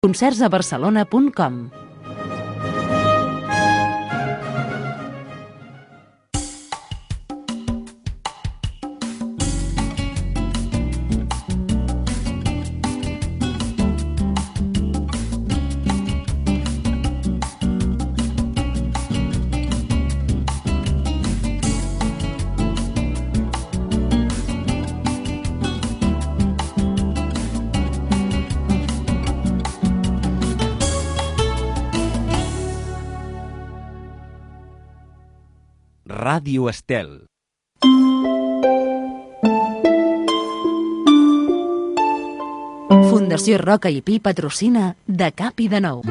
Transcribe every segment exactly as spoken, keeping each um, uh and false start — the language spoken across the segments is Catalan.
concerts a barcelona punt com. Ràdio Estel. Fundació Roca i Pi patrocina De Cap i de Nou.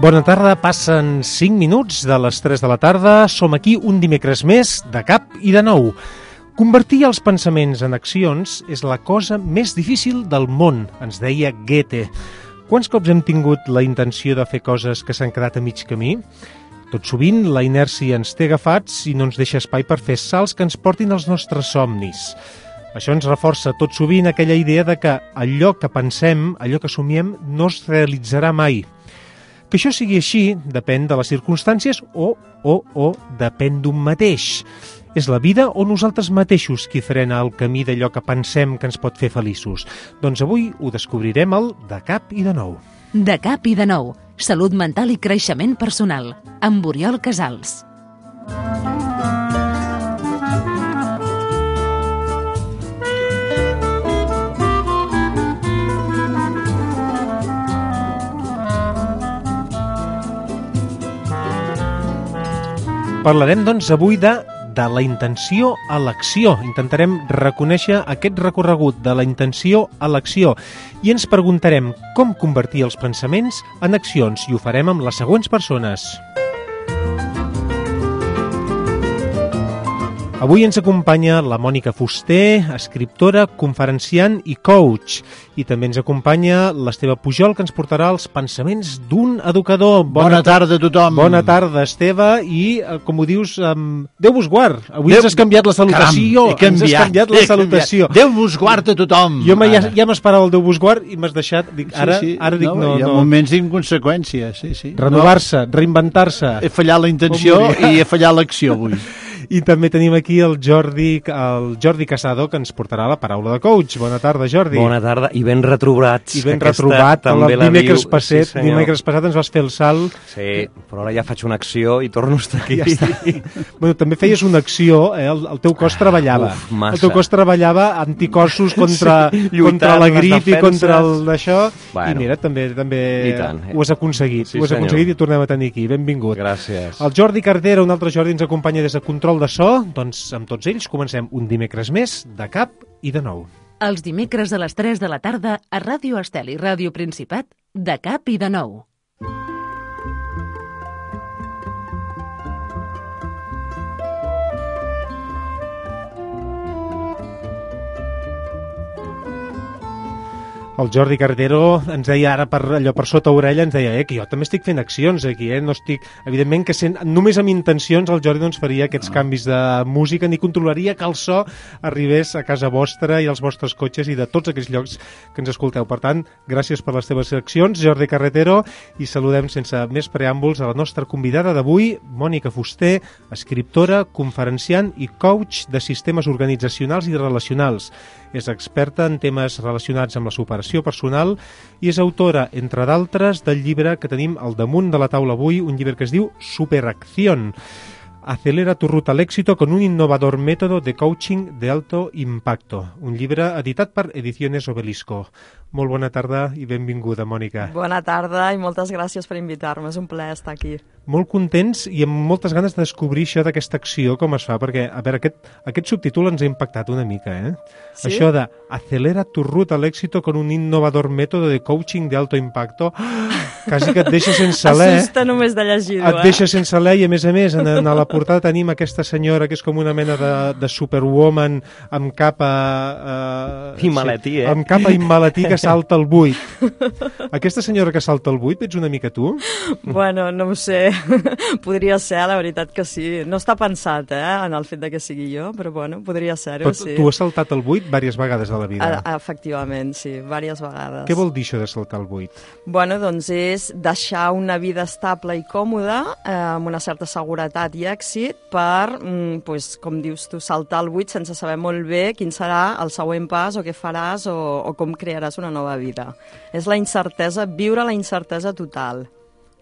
Bona tarda, passen cinc minuts de les tres de la tarda. Som aquí un dimecres més, de cap i de nou. Convertir els pensaments en accions és la cosa més difícil del món, ens deia Goethe. Quants cops hem tingut la intenció de fer coses que s'han quedat a mig camí? Tot sovint la inèrcia ens té agafats i no ens deixa espai per fer salts que ens portin als nostres somnis. Això ens reforça tot sovint aquella idea de que allò que pensem, allò que somiem, no es realitzarà mai. Que això sigui així depèn de les circumstàncies o, o, o depèn d'un mateix. És la vida o nosaltres mateixos qui frena el camí d'allò que pensem que ens pot fer feliços? Doncs avui ho descobrirem al De Cap i de Nou. De Cap i de Nou. Salut mental i creixement personal. Amb Oriol Casals. Parlarem, doncs, avui de de la intenció a l'acció. Intentarem reconèixer aquest recorregut de la intenció a l'acció i ens preguntarem com convertir els pensaments en accions i ho farem amb les següents persones. Avui ens acompanya la Mònica Fuster, escriptora, conferenciant i coach. I també ens acompanya l'Esteve Pujol, que ens portarà els pensaments d'un educador. Bona, Bona tarda a tothom. Bona tarda, Esteve. I, com ho dius, um, Déu vos guard. Avui Déu... ens has canviat la salutació. Caram, he canviat. Ens has canviat la salutació. Déu vos guard a tothom. Jo ja, ja m'esperava el Déu vos guard i m'has deixat... Dic, ara, sí, sí. ara dic no, no. Hi ha no. moments d'inconseqüència, sí, sí. Renovar-se, no. Reinventar-se. He fallat la intenció i he fallat l'acció avui. I també tenim aquí el Jordi, el Jordi Casado, que ens portarà la paraula de coach. Bona tarda, Jordi. Bona tarda, i ben retrobats. I ben retrobat. El dimecres passat, sí, dimecres passat ens vas fer el salt. Sí, però ara ja faig una acció i torno a estar aquí. Ja està. Bueno, també feies una acció, eh? el, el teu cos treballava. Uf, massa. El teu cos treballava anticossos contra, sí, contra la grip i contra el d'això. Bueno, I mira, també, també ho has aconseguit. Sí, ho has senyor. aconseguit i tornem a tenir aquí. Benvingut. Gràcies. El Jordi Cardera, un altre Jordi, ens acompanya des de Control de So. Doncs amb tots ells comencem un dimecres més de cap i de nou. Els dimecres a les tres de la tarda a Ràdio Estel i Ràdio Principat, De Cap i de Nou. El Jordi Cardero ens deia ara per allò per sota orella, ens deia eh, que jo també estic fent accions aquí, eh? No estic... Evidentment que sent, només amb intencions el Jordi doncs, faria aquests canvis de música ni controlaria que el so arribés a casa vostra i als vostres cotxes i de tots aquells llocs que ens escolteu. Per tant, gràcies per les teves accions, Jordi Carretero, i saludem sense més preàmbuls a la nostra convidada d'avui, Mònica Fuster, escriptora, conferenciant i coach de sistemes organitzacionals i relacionals. És experta en temes relacionats amb la superació personal i és autora, entre d'altres, del llibre que tenim al damunt de la taula avui, un llibre que es diu Superacción. Acelera tu ruta al éxito con un innovador método de coaching de alto impacto. Un llibre editat per Ediciones Obelisco. Molt bona tarda i benvinguda, Mònica. Bona tarda i moltes gràcies per invitar-me. És un plaer estar aquí. Molt contents i amb moltes ganes de descobrir això d'aquesta acció, com es fa, perquè, a veure, aquest, aquest subtítol ens ha impactat una mica, eh? Sí? Això de acelera tu ruta al éxito con un innovador método de coaching de alto impacto. quasi que et deixa sense alè. Assusta només de llegir-ho, Et eh? deixa sense alè i, a més a més, en, en la portada tenim aquesta senyora que és com una mena de, de superwoman amb capa... Eh, I maletí, eh? Amb capa i maletí que salta al buit. Aquesta senyora que salta al buit, ets una mica tu? Bueno, no ho sé. Podria ser, la veritat que sí. No està pensat, eh, en el fet de que sigui jo, però bueno, podria ser-ho, Però sí. tu has saltat al buit diverses vegades a la vida. A, efectivament, sí, diverses vegades. Què vol dir això de saltar al buit? Bueno, doncs és deixar una vida estable i còmoda, eh, amb una certa seguretat i èxit, per, mm, pues, com dius tu, saltar al buit sense saber molt bé quin serà el següent pas o què faràs o, o com crearàs una nova vida. És la incertesa, viure la incertesa total.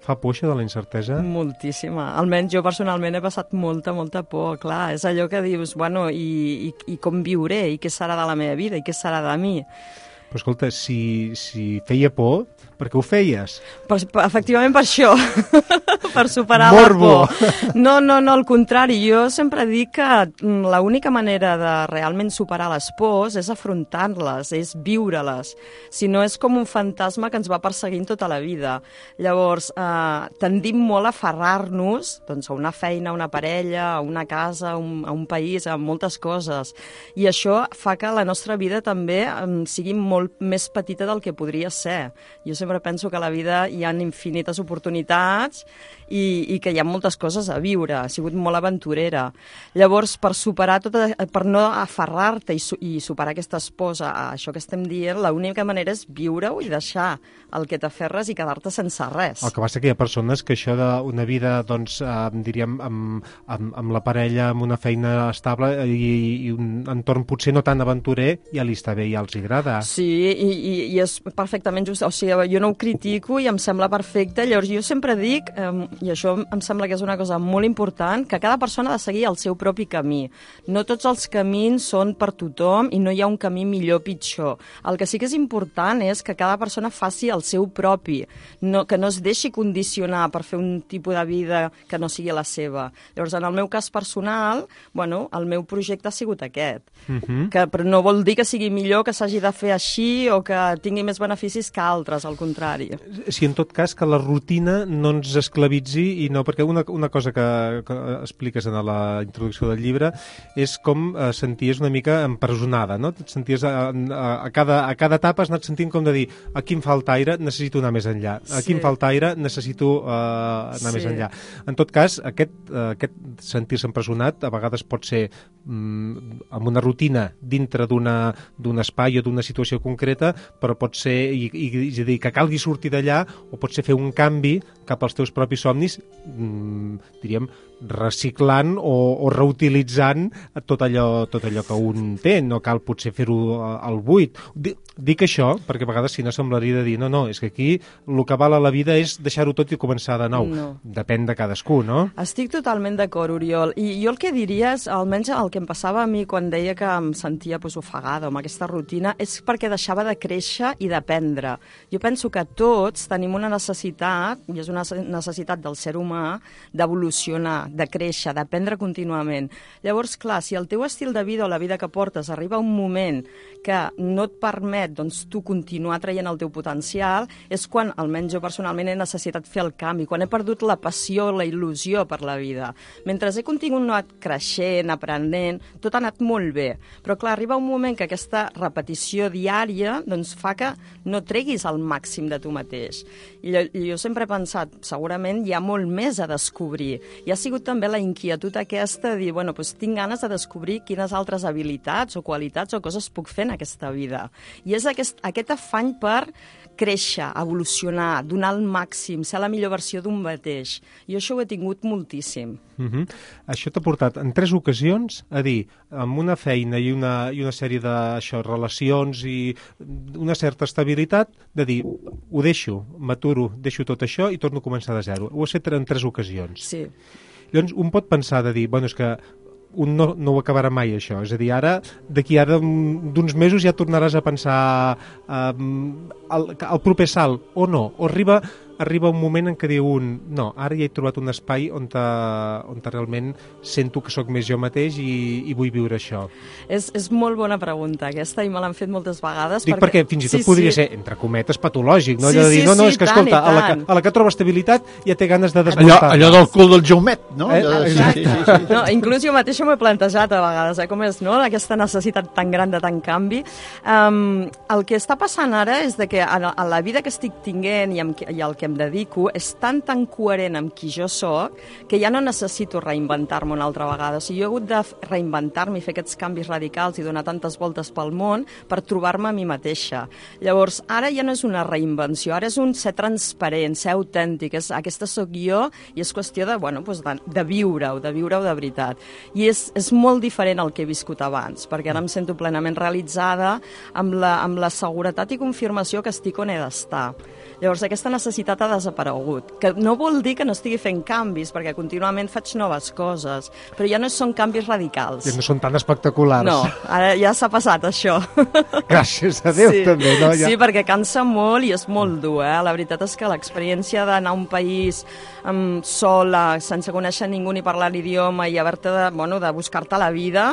Fa por això de la incertesa? Moltíssima. Almenys jo personalment he passat molta, molta por. Clar, és allò que dius, bueno, i, i, i com viuré, i què serà de la meva vida, i què serà de mi. Però escolta, si, si feia por, per què ho feies? Per, per, efectivament per això, per superar Morbo. la por. No, no, no, al contrari. Jo sempre dic que l'única manera de realment superar les pors és afrontar-les, és viure-les. Si no, és com un fantasma que ens va perseguint tota la vida. Llavors, eh, tendim molt a aferrar-nos, doncs, a una feina, a una parella, a una casa, a un, a un país, a moltes coses. I això fa que la nostra vida també eh, sigui molt més petita del que podria ser. Jo sempre penso que a la vida hi ha infinites oportunitats i, i que hi ha moltes coses a viure. Ha sigut molt aventurera. Llavors, per superar tota, per no aferrar-te i, su, i superar aquestes pors a, a això que estem dient, l'única manera és viure-ho i deixar el que t'aferres i quedar-te sense res. El que passa que hi ha persones que això d'una vida, doncs, eh, diríem, amb, amb, amb la parella, amb una feina estable i, i un entorn potser no tan aventurer, ja li està bé i ja els agrada. Sí, i, i, i és perfectament just. O sigui, jo no ho critico i em sembla perfecte. Llavors, jo sempre dic, eh, i això em sembla que és una cosa molt important, que cada persona ha de seguir el seu propi camí. No tots els camins són per tothom i no hi ha un camí millor o pitjor. El que sí que és important és que cada persona faci el seu propi, no, que no es deixi condicionar per fer un tipus de vida que no sigui la seva. Llavors, en el meu cas personal, bueno, el meu projecte ha sigut aquest. Uh-huh. Que, però no vol dir que sigui millor, que s'hagi de fer així o que tingui més beneficis que altres, al contrari. Si en tot cas que la rutina no ens esclavitzi i no, perquè una, una cosa que, que expliques en la introducció del llibre és com eh, senties una mica empresonada, no? Et senties a, a, a, cada, a cada etapa has anat sentint com de dir aquí em falta aire, necessito anar més enllà. Aquí Sí. em falta aire, necessito eh, anar Sí. més enllà. En tot cas, aquest, eh, aquest sentir-se empresonat a vegades pot ser mm, amb una rutina dintre d'una d'un espai o d'una situació concreta, però pot ser, i, i, és a dir, que calgui sortir d'allà, o pot ser fer un canvi cap als teus propis somnis, mmm, diríem, reciclant o, o reutilitzant tot allò, tot allò que un té, no cal potser fer-ho al buit. Dic això perquè a vegades si no semblaria de dir no, no, és que aquí el que val a la vida és deixar-ho tot i començar de nou. No. Depèn de cadascú, no? Estic totalment d'acord, Oriol. I jo el que diria és, almenys el que em passava a mi quan deia que em sentia pues, ofegada amb aquesta rutina, és perquè deixava de créixer i d'aprendre. Jo penso que tots tenim una necessitat, i és una necessitat del ser humà, d'evolucionar, de créixer, d'aprendre contínuament. Llavors, clar, si el teu estil de vida o la vida que portes arriba a un moment que no et permet doncs, tu continuar traient el teu potencial, és quan, almenys jo personalment, he necessitat fer el canvi, quan he perdut la passió, la il·lusió per la vida. Mentre he continuat creixent, aprenent, tot ha anat molt bé. Però, clar, arriba un moment que aquesta repetició diària doncs, fa que no treguis el màxim de tu mateix. I jo, jo sempre he pensat, segurament hi ha molt més a descobrir. I ha sigut també la inquietud aquesta de dir, bueno, doncs tinc ganes de descobrir quines altres habilitats o qualitats o coses puc fer en aquesta vida. I és aquest, aquest afany per créixer, evolucionar, donar el màxim, ser la millor versió d'un mateix. I això ho he tingut moltíssim. Uh-huh. Això t'ha portat en tres ocasions a dir, amb una feina i una, i una sèrie de això, relacions i una certa estabilitat, de dir, ho deixo, m'aturo, deixo tot això i torno a començar de zero. Ho has fet en tres ocasions. Sí. Llavors, un pot pensar de dir, bueno, és que un no, no ho acabarà mai, això. És a dir, ara, d'aquí ara d'uns mesos ja tornaràs a pensar um, el, el proper salt, o no, o arriba arriba un moment en què diu un, no, ara ja he trobat un espai on, te, on te realment sento que sóc més jo mateix i, i vull viure això? És, és molt bona pregunta aquesta i me l'han fet moltes vegades. Dic perquè, perquè fins i tot sí, podria sí. ser, entre cometes, patològic, no? Sí, Allò de dir, sí, no, no, sí, és que, tant escolta, i a la que, tant. a la que troba estabilitat ja té ganes de Allò, desmuntar. allò del cul del Jaumet, no? Eh? Allò de- Exacte. sí, sí, sí. No, inclús jo mateixa m'ho he plantejat a vegades, eh, com és, no?, aquesta necessitat tan gran de tant canvi. Um, el que està passant ara és de que en, en la vida que estic tinguent i, amb, i al que em dedico és tan, tan coherent amb qui jo sóc que ja no necessito reinventar-me una altra vegada. O sigui, jo he hagut de reinventar-me i fer aquests canvis radicals i donar tantes voltes pel món per trobar-me a mi mateixa. Llavors, ara ja no és una reinvenció, ara és un ser transparent, ser autèntic, és, aquesta sóc jo i és qüestió de, bueno, doncs de, de viure-ho, de viure-ho de veritat. I és, és molt diferent al que he viscut abans, perquè ara em sento plenament realitzada amb la, amb la seguretat i confirmació que estic on he d'estar. Llavors, aquesta necessitat ha desaparegut, que no vol dir que no estigui fent canvis, perquè contínuament faig noves coses, però ja no són canvis radicals. Ja no són tan espectaculars. No, ara ja s'ha passat això. Gràcies a Déu, sí. també. No? Ja... Sí, perquè cansa molt i és molt dur, eh? La veritat és que l'experiència d'anar a un país um, sola, sense conèixer ningú ni parlar l'idioma i haver-te de, bueno, de buscar-te la vida,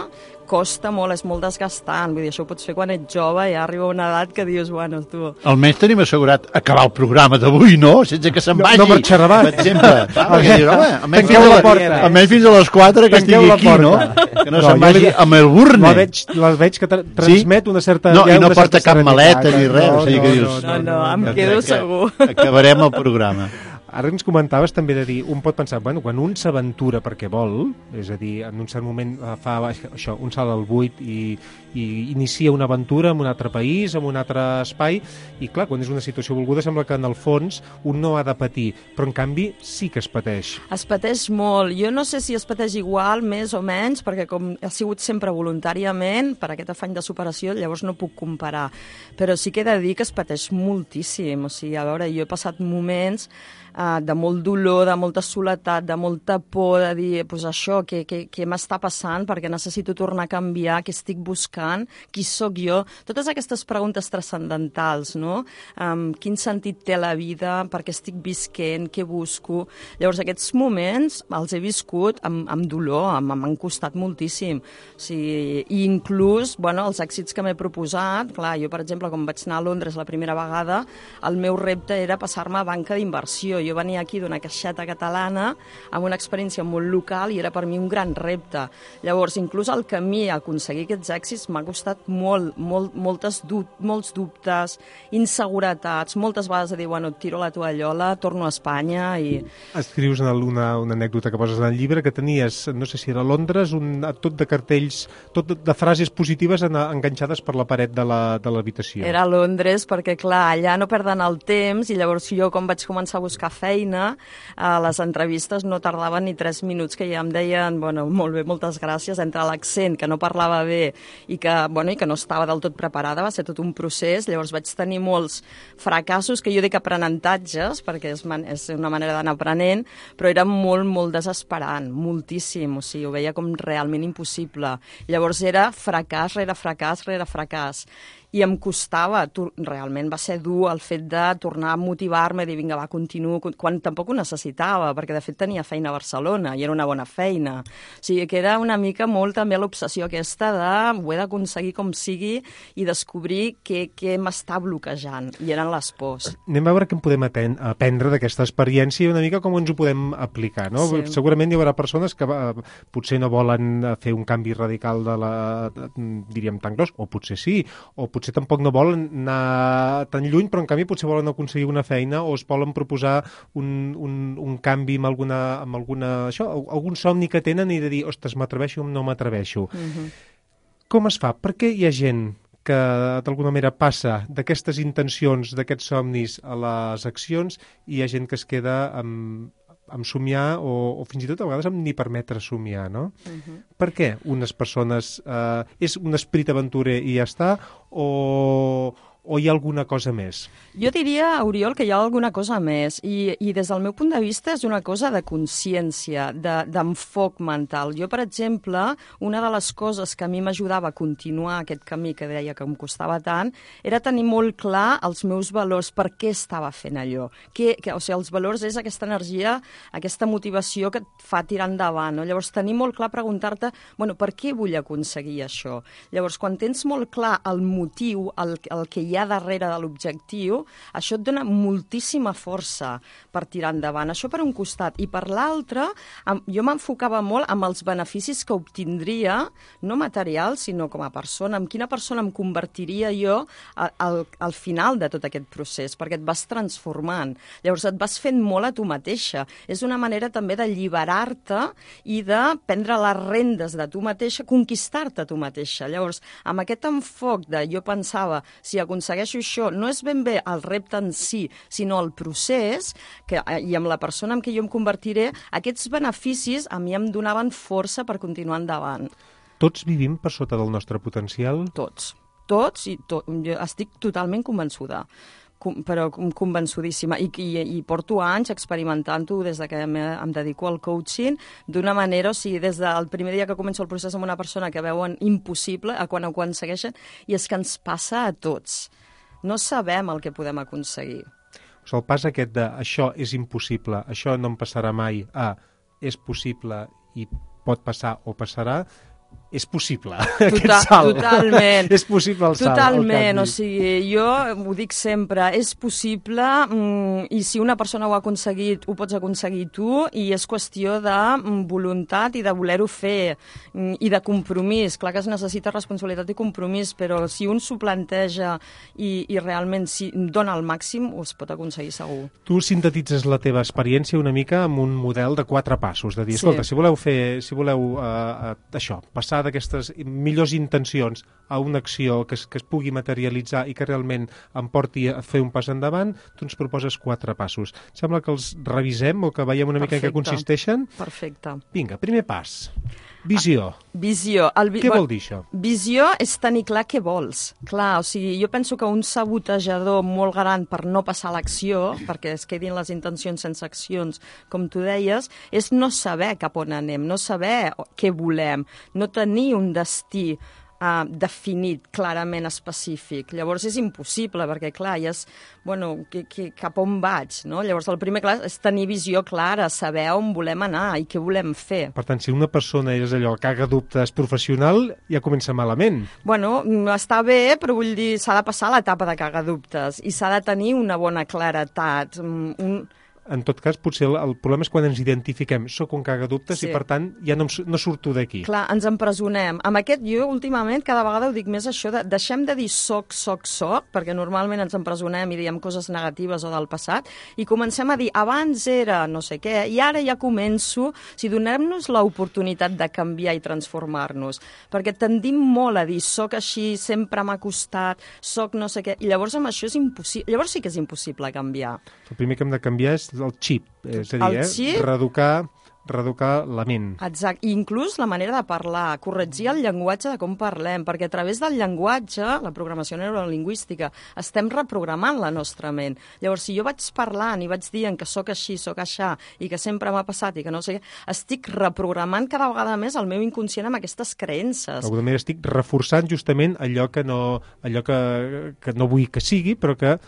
costa molt, és molt desgastant. Vull dir, això ho pots fer quan ets jove i ja arriba una edat que dius, bueno, tu... Almenys tenim assegurat acabar el programa d'avui, no? Sense que se'n No- vagi. no marxarà abans. Per exemple. Clar, perquè dius, home, almenys Tanqueu fins a la porta. Almenys fins a les quatre que Tanqueu estigui la aquí, no? porta. Que no, No, se'n jo vagi li- a Melbourne. La veig, la veig que tra transmet una certa... No, ja i no una porta certa cap serenitat. maleta ni res. No, o sigui no, que dius, No, no, em jo quedo crec que segur. Acabarem el programa. Ara ens comentaves també de dir, un pot pensar, bueno, quan un s'aventura perquè vol, és a dir, en un cert moment eh, fa això, un salt al buit i, i inicia una aventura en un altre país, en un altre espai, i clar, quan és una situació volguda sembla que en el fons un no ha de patir, però en canvi sí que es pateix. Es pateix molt. Jo no sé si es pateix igual, més o menys, perquè com ha sigut sempre voluntàriament, per aquest afany de superació, llavors no puc comparar. Però sí que he de dir que es pateix moltíssim. O sigui, a veure, jo he passat moments uh, de molt dolor, de molta soledat, de molta por, de dir, pues això, què, què, què m'està passant, perquè necessito tornar a canviar, què estic buscant, qui sóc jo, totes aquestes preguntes transcendentals, no? Um, quin sentit té la vida, per què estic visquent, què busco... Llavors, aquests moments els he viscut amb, amb dolor, m'han costat moltíssim. O sigui, i inclús, bueno, els èxits que m'he proposat, clar, jo, per exemple, quan vaig anar a Londres la primera vegada, el meu repte era passar-me a banca d'inversió. Jo venia aquí d'una caixeta catalana amb una experiència molt local i era per mi un gran repte. Llavors, inclús el camí a aconseguir aquests èxits m'ha costat molt, molt, moltes dub molts dubtes, inseguretats, moltes vegades de dir, bueno, tiro la tovallola, torno a Espanya i... Escrius una, una, una anècdota que poses en el llibre que tenies, no sé si era a Londres, un, tot de cartells, tot de, de frases positives en, enganxades per la paret de l'habitació. Era a Londres perquè, clar, allà no perden el temps i llavors jo, com vaig començar a buscar feina, a les entrevistes no tardaven ni tres minuts que ja em deien, bueno, molt bé, moltes gràcies, entre l'accent, que no parlava bé i que, bueno, i que no estava del tot preparada, va ser tot un procés, llavors vaig tenir molts fracassos, que jo dic aprenentatges, perquè és, man és una manera d'anar aprenent, però era molt, molt desesperant, moltíssim, o sigui, ho veia com realment impossible. Llavors era fracàs rere fracàs rere fracàs. I em costava, realment va ser dur el fet de tornar a motivar-me, dir, vinga, va, continuo, quan tampoc ho necessitava, perquè de fet tenia feina a Barcelona i era una bona feina. O sigui, que era una mica molt també l'obsessió aquesta de ho he d'aconseguir com sigui i descobrir què, què m'està bloquejant, i eren les pors. Anem a veure què en podem aprendre d'aquesta experiència i una mica com ens ho podem aplicar, no? Sí. Segurament hi haurà persones que uh, potser no volen fer un canvi radical de la, diríem, tan gros, o potser sí, o potser potser tampoc no volen anar tan lluny, però en canvi potser volen aconseguir una feina o es volen proposar un, un, un canvi amb alguna, amb alguna això, algun somni que tenen i de dir, ostres, m'atreveixo o no m'atreveixo. Uh-huh. Com es fa? Per què hi ha gent que d'alguna manera passa d'aquestes intencions, d'aquests somnis a les accions i hi ha gent que es queda amb amb somiar o, o fins i tot a vegades amb ni permetre somiar, no? Uh-huh. Per què unes persones... Eh, és un esperit aventurer i ja està? O, o hi ha alguna cosa més? Jo diria, Oriol, que hi ha alguna cosa més i, i des del meu punt de vista és una cosa de consciència, d'enfoc de, mental. Jo, per exemple, una de les coses que a mi m'ajudava a continuar aquest camí que deia que em costava tant era tenir molt clar els meus valors, per què estava fent allò. Que, que, o sigui, els valors és aquesta energia, aquesta motivació que et fa tirar endavant. No? Llavors, tenir molt clar, preguntar-te, bueno, per què vull aconseguir això? Llavors, quan tens molt clar el motiu, el, el que hi ha darrere de l'objectiu, això et dona moltíssima força per tirar endavant. Això per un costat. I per l'altre, jo m'enfocava molt amb els beneficis que obtindria, no materials, sinó com a persona, amb quina persona em convertiria jo al, al final de tot aquest procés, perquè et vas transformant. Llavors et vas fent molt a tu mateixa. És una manera també d'alliberar-te i de prendre les rendes de tu mateixa, conquistar-te a tu mateixa. Llavors, amb aquest enfoc de jo pensava, si aconsegueixo això, no és ben bé el repte en si, sinó el procés, que, i amb la persona en què jo em convertiré, aquests beneficis a mi em donaven força per continuar endavant. Tots vivim per sota del nostre potencial? Tots. Tots, i to, jo estic totalment convençuda, com, però convençudíssima, I, i, i porto anys experimentant-ho des de que em, em dedico al coaching d'una manera, o sigui, des del primer dia que començo el procés amb una persona que veuen impossible a quan ho aconsegueixen, i és que ens passa a tots. No sabem el que podem aconseguir. O sigui, el pas aquest de això és impossible, això no em passarà mai, a és possible i pot passar o passarà, és possible, Total, aquest salt. Totalment. És possible el salt. Totalment, o sigui, jo ho dic sempre, és possible, mm, i si una persona ho ha aconseguit, ho pots aconseguir tu, i és qüestió de mm, voluntat i de voler-ho fer, mm, i de compromís. Clar que es necessita responsabilitat i compromís, però si un s'ho planteja i, i realment si dona el màxim, ho es pot aconseguir segur. Tu sintetitzes la teva experiència una mica amb un model de quatre passos, de dir, escolta, sí. si voleu fer, si voleu uh, uh, això, passar d'aquestes millors intencions a una acció que es, que es pugui materialitzar i que realment em porti a fer un pas endavant, tu ens proposes quatre passos. Sembla que els revisem o que veiem una Perfecte. mica en què consisteixen? Perfecte. Vinga, primer pas. Visió. Ah, visió. El vi... Què vol dir això? Visió és tenir clar què vols. Clar, o sigui, jo penso que un sabotejador molt gran per no passar l'acció, perquè es quedin les intencions sense accions, com tu deies, és no saber cap on anem, no saber què volem, no tenir un destí Uh, definit, clarament específic. Llavors és impossible, perquè clar, ja és, bueno, que, que, cap on vaig, no? Llavors el primer clar és tenir visió clara, saber on volem anar i què volem fer. Per tant, si una persona és allò, caga dubtes professional, ja comença malament. Bueno, està bé, però vull dir, s'ha de passar l'etapa de cagar dubtes i s'ha de tenir una bona claretat, un... En tot cas, potser el, el problema és quan ens identifiquem. Soc un cagadubtes sí. i, per tant, ja no, no surto d'aquí. Clar, ens empresonem. Amb aquest, jo, últimament, cada vegada ho dic més això, de, deixem de dir soc, soc, soc, perquè normalment ens empresonem i diem coses negatives o del passat, i comencem a dir, abans era no sé què, i ara ja començo, si donem-nos l'oportunitat de canviar i transformar-nos, perquè tendim molt a dir, soc així, sempre m'ha costat, soc no sé què, i llavors amb això és impossible, llavors sí que és impossible canviar. El primer que hem de canviar és el xip, és a dir, eh? xip... reeducar, reeducar la ment. Exacte, i inclús la manera de parlar, corregir el llenguatge de com parlem, perquè a través del llenguatge, la programació neurolingüística, estem reprogramant la nostra ment. Llavors, si jo vaig parlant i vaig dient que sóc així, sóc aixà, i que sempre m'ha passat i que no sé què, estic reprogramant cada vegada més el meu inconscient amb aquestes creences. D'alguna manera estic reforçant justament allò que no, allò que, que no vull que sigui, però que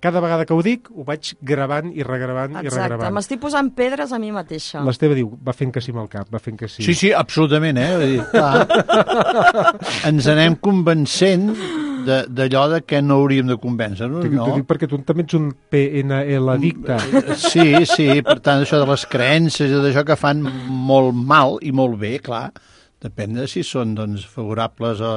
cada vegada que ho dic ho vaig gravant i regravant Exacte. i regravant. Exacte, m'estic posant pedres a mi mateixa. L'Esteve diu, va fent que sí amb el cap, va fent que sí. Sí, sí, absolutament, eh? Vull dir, clar, ens anem convencent d'allò de, de que no hauríem de convèncer-nos, no? T'ho dic perquè tu també ets un P N L addicte. Sí, sí, per tant, això de les creences i d'això que fan molt mal i molt bé, clar, depèn de si són doncs, favorables a,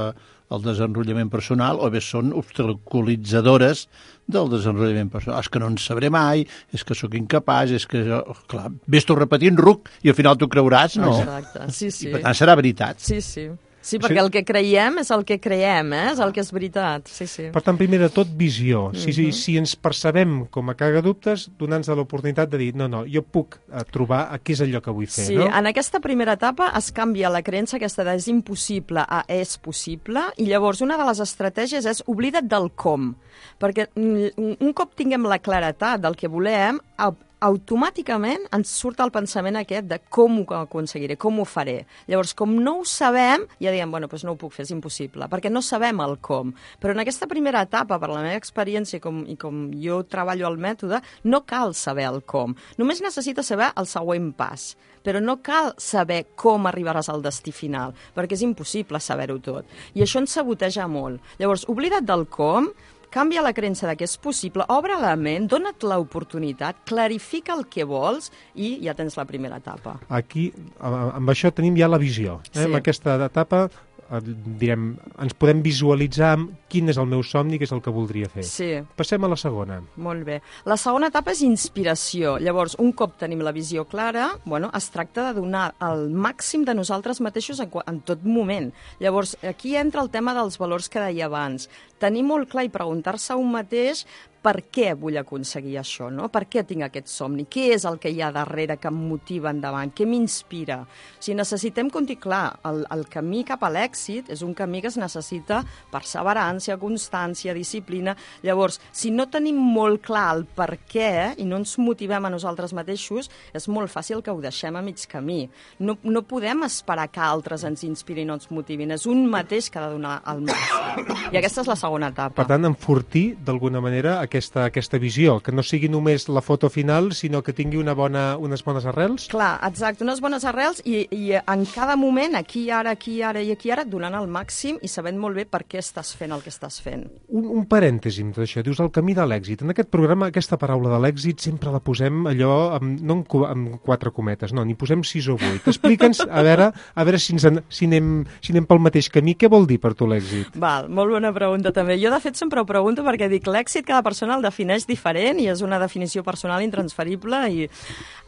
al desenvolupament personal o bé són obstaculitzadores del desenvolupament personal. És que no en sabré mai, és que sóc incapaç, és que jo... Clar, ves tu repetint ruc i al final tu creuràs, no? Exacte, sí, sí. I per tant serà veritat. Sí, sí. Sí, perquè el que creiem és el que creiem, eh? És el que és veritat. Sí, sí. Per tant, primer de tot, visió. Si, Mhm. si, si ens percebem com a cagadubtes, donant-nos l'oportunitat de dir, no, no, jo puc eh, trobar a què és allò que vull fer, Sí, no? en aquesta primera etapa es canvia la creença aquesta de és impossible a és possible, i llavors una de les estratègies és oblida't del com, perquè mm, un cop tinguem la claretat del que volem, au- automàticament ens surt el pensament aquest de com ho aconseguiré, com ho faré. Llavors, com no ho sabem, ja diem, bueno, doncs no ho puc fer, és impossible, perquè no sabem el com. Però en aquesta primera etapa, per la meva experiència i com, i com jo treballo el mètode, no cal saber el com. Només necessites saber el següent pas, però no cal saber com arribaràs al destí final, perquè és impossible saber-ho tot. I això ens saboteja molt. Llavors, oblida't del com, canvia la creença de que és possible, obre la ment, dona't l'oportunitat, clarifica el que vols i ja tens la primera etapa. Aquí, a- amb això tenim ja la visió. Eh? Sí. En aquesta etapa, eh, direm, ens podem visualitzar amb quin és el meu somni, que és el que voldria fer. Sí. Passem a la segona. Molt bé. La segona etapa és inspiració. Llavors, un cop tenim la visió clara, bueno, es tracta de donar el màxim de nosaltres mateixos en, qua- en tot moment. Llavors, aquí entra el tema dels valors que deia abans. Tenir molt clar i preguntar-se a un mateix per què vull aconseguir això, no? Per què tinc aquest somni? Què és el que hi ha darrere que em motiva endavant? Què m'inspira? O sigui, necessitem conti clar, el, el camí cap a l'èxit és un camí que es necessita perseverància, constància, disciplina. Llavors, si no tenim molt clar el per què i no ens motivem a nosaltres mateixos, és molt fàcil que ho deixem a mig camí. No, no podem esperar que altres ens inspirin o ens motivin. És un mateix que ha de donar el màxim. I aquesta és la segona etapa. Per tant, enfortir, d'alguna manera, aquesta, aquesta visió, que no sigui només la foto final, sinó que tingui una bona, unes bones arrels. Clar, exacte, unes bones arrels i, i en cada moment, aquí, ara, aquí, ara i aquí, ara, donant el màxim i sabent molt bé per què estàs fent el que estàs fent. Un, un parèntesi amb tot això. Dius el camí de l'èxit. En aquest programa, aquesta paraula de l'èxit sempre la posem allò, amb, no amb, cu- amb quatre cometes, no, n'hi posem sis o vuit. Explica'ns, a veure, a veure si, ens en, si, anem, si anem pel mateix camí. Què vol dir per tu l'èxit? Val, molt bona pregunta també. Jo, de fet, sempre ho pregunto perquè dic l'èxit cada persona el defineix diferent i és una definició personal intransferible. I,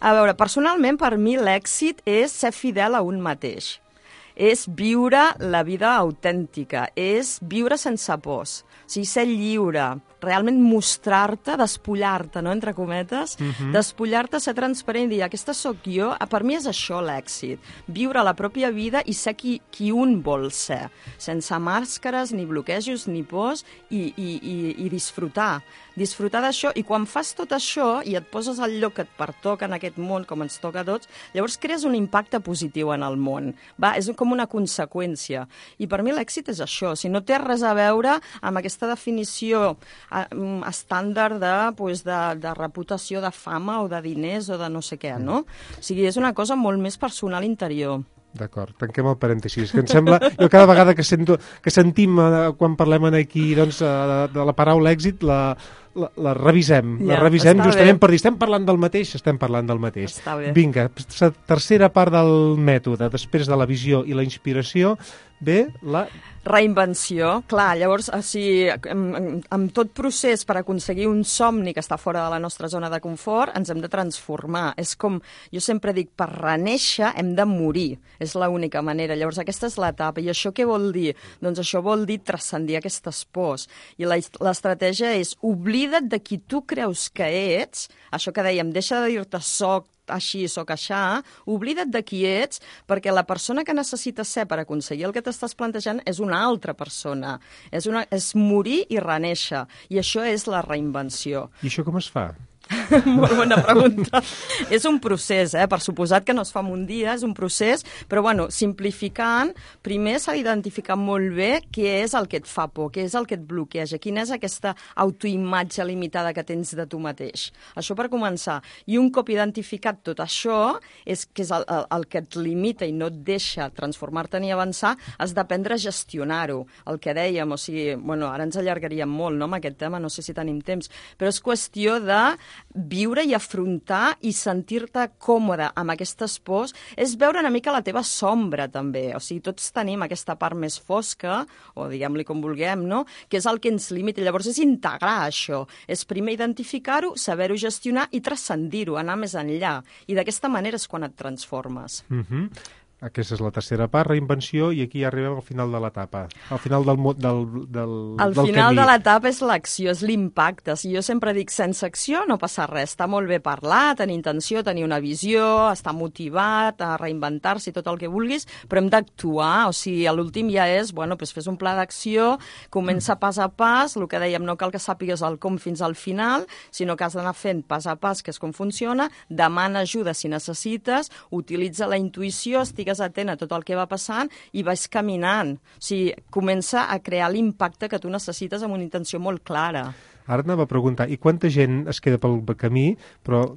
a veure, personalment, per mi l'èxit és ser fidel a un mateix. És viure la vida autèntica, és viure sense pors, o sigui, ser lliure, realment mostrar-te, despullar-te, no?, entre cometes, uh-huh. despullar-te, ser transparent i dir, aquesta sóc jo, per mi és això l'èxit, viure la pròpia vida i ser qui, qui un vol ser, sense màscares, ni bloquejos, ni pors, i, i, i, i disfrutar, disfrutar d'això, i quan fas tot això i et poses al lloc que et pertoca en aquest món, com ens toca a tots, llavors crees un impacte positiu en el món, va? És com una conseqüència, i per mi l'èxit és això, si no té res a veure amb aquesta definició estàndard de, pues, de, de reputació, de fama o de diners o de no sé què, no? O sigui, és una cosa molt més personal interior. D'acord, tanquem el parèntesis, que em sembla, jo cada vegada que, sento, que sentim eh, quan parlem aquí doncs, eh, de, de la paraula èxit, la, la, la revisem, Ja, la revisem està justament bé. per dir, estem parlant del mateix, estem parlant del mateix. Està bé. Vinga, la tercera part del mètode, després de la visió i la inspiració, ve la... Reinvenció, clar, llavors, o sigui, amb, amb tot procés per aconseguir un somni que està fora de la nostra zona de confort, ens hem de transformar. És com, jo sempre dic, per renéixer hem de morir, és l'única manera. Llavors, aquesta és l'etapa. I això què vol dir? Doncs això vol dir transcendir aquestes pors. I la- l'estratègia és oblida't de qui tu creus que ets, això que dèiem, deixa de dir-te soc, així, soc aixà, oblida't de qui ets, perquè la persona que necessites ser per aconseguir el que t'estàs plantejant és una altra persona. És, una, és morir i renéixer. I això és la reinvenció. I això com es fa? Molt bona pregunta. És un procés, eh? Per suposat que no es fa en un dia, és un procés, però bueno, simplificant, primer s'ha d'identificar molt bé què és el que et fa por, què és el que et bloqueja, quina és aquesta autoimatge limitada que tens de tu mateix. Això per començar. I un cop identificat tot això, és que és el, el, el que et limita i no et deixa transformar-te ni avançar, has d'aprendre a gestionar-ho. El que dèiem, o sigui, bueno, ara ens allargaríem molt, no?, amb aquest tema, no sé si tenim temps, però és qüestió de viure i afrontar i sentir-te còmode amb aquestes pors, és veure una mica la teva sombra també, o sigui, tots tenim aquesta part més fosca, o diguem-li com vulguem, no?, que és el que ens limita. Llavors és integrar això, és primer identificar-ho, saber-ho gestionar i transcendir-ho, anar més enllà, i d'aquesta manera és quan et transformes. Uh-huh. Aquesta és la tercera part, reinvenció, i aquí ja arribem al final de l'etapa. Al final del, del, del, al del final camí. de l'etapa és l'acció, és l'impacte. Si jo sempre dic, sense acció no passa res. Està molt bé parlar, tenir intenció, tenir una visió, estar motivat, a reinventar-se i tot el que vulguis, però hem d'actuar. O sigui, a l'últim ja és, bueno, doncs fes un pla d'acció, comença pas a pas, el que dèiem, no cal que sàpigues el com fins al final, sinó que has d'anar fent pas a pas, que és com funciona, demana ajuda si necessites, utilitza la intuïció, estigues atent a tot el que va passant i vas caminant. O sigui, comença a crear l'impacte que tu necessites amb una intenció molt clara. Ara anava a preguntar, i quanta gent es queda pel camí, però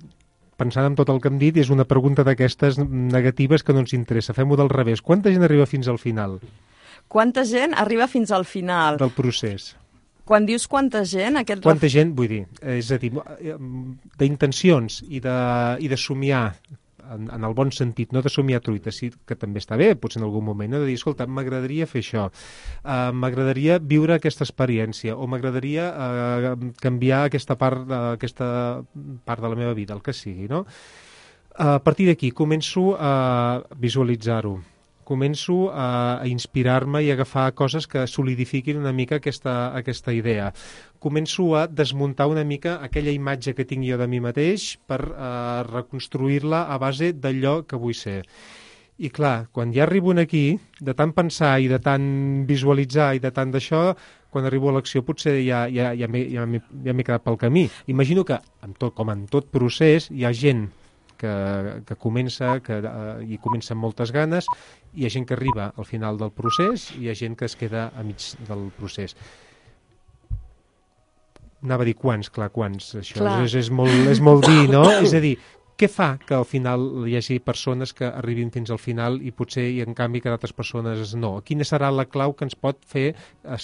pensant en tot el que hem dit, és una pregunta d'aquestes negatives que no ens interessa. Fem-ho del revés. Quanta gent arriba fins al final? Quanta gent arriba fins al final? Del procés. Quan dius quanta gent... Aquest quanta ref... gent, vull dir, és a dir, d'intencions i de, i de somiar, en, en el bon sentit, no de somiar truita, sí que també està bé, potser en algun moment, no? De dir, escolta, m'agradaria fer això, uh, m'agradaria viure aquesta experiència, o m'agradaria uh, canviar aquesta part, uh, aquesta part de la meva vida, el que sigui, no? Uh, a partir d'aquí començo a visualitzar-ho, començo a, a inspirar-me i a agafar coses que solidifiquin una mica aquesta, aquesta idea. Començo a desmuntar una mica aquella imatge que tinc jo de mi mateix per eh, reconstruir-la a base d'allò que vull ser. I clar, quan ja arribo aquí, de tant pensar i de tant visualitzar i de tant d'això, quan arribo a l'acció potser ja, ja, ja m'he ja ja quedat pel camí. Imagino que, amb tot, com en tot procés, hi ha gent que, que comença, que uh, hi comença amb moltes ganes, hi ha gent que arriba al final del procés i hi ha gent que es queda a mig del procés. Anava a dir quants, clar, quants, això és, és, molt, és molt dir, no? És a dir, què fa que al final hi hagi persones que arribin fins al final i potser, i en canvi, que d'altres persones no? Quina serà la clau que ens pot fer uh,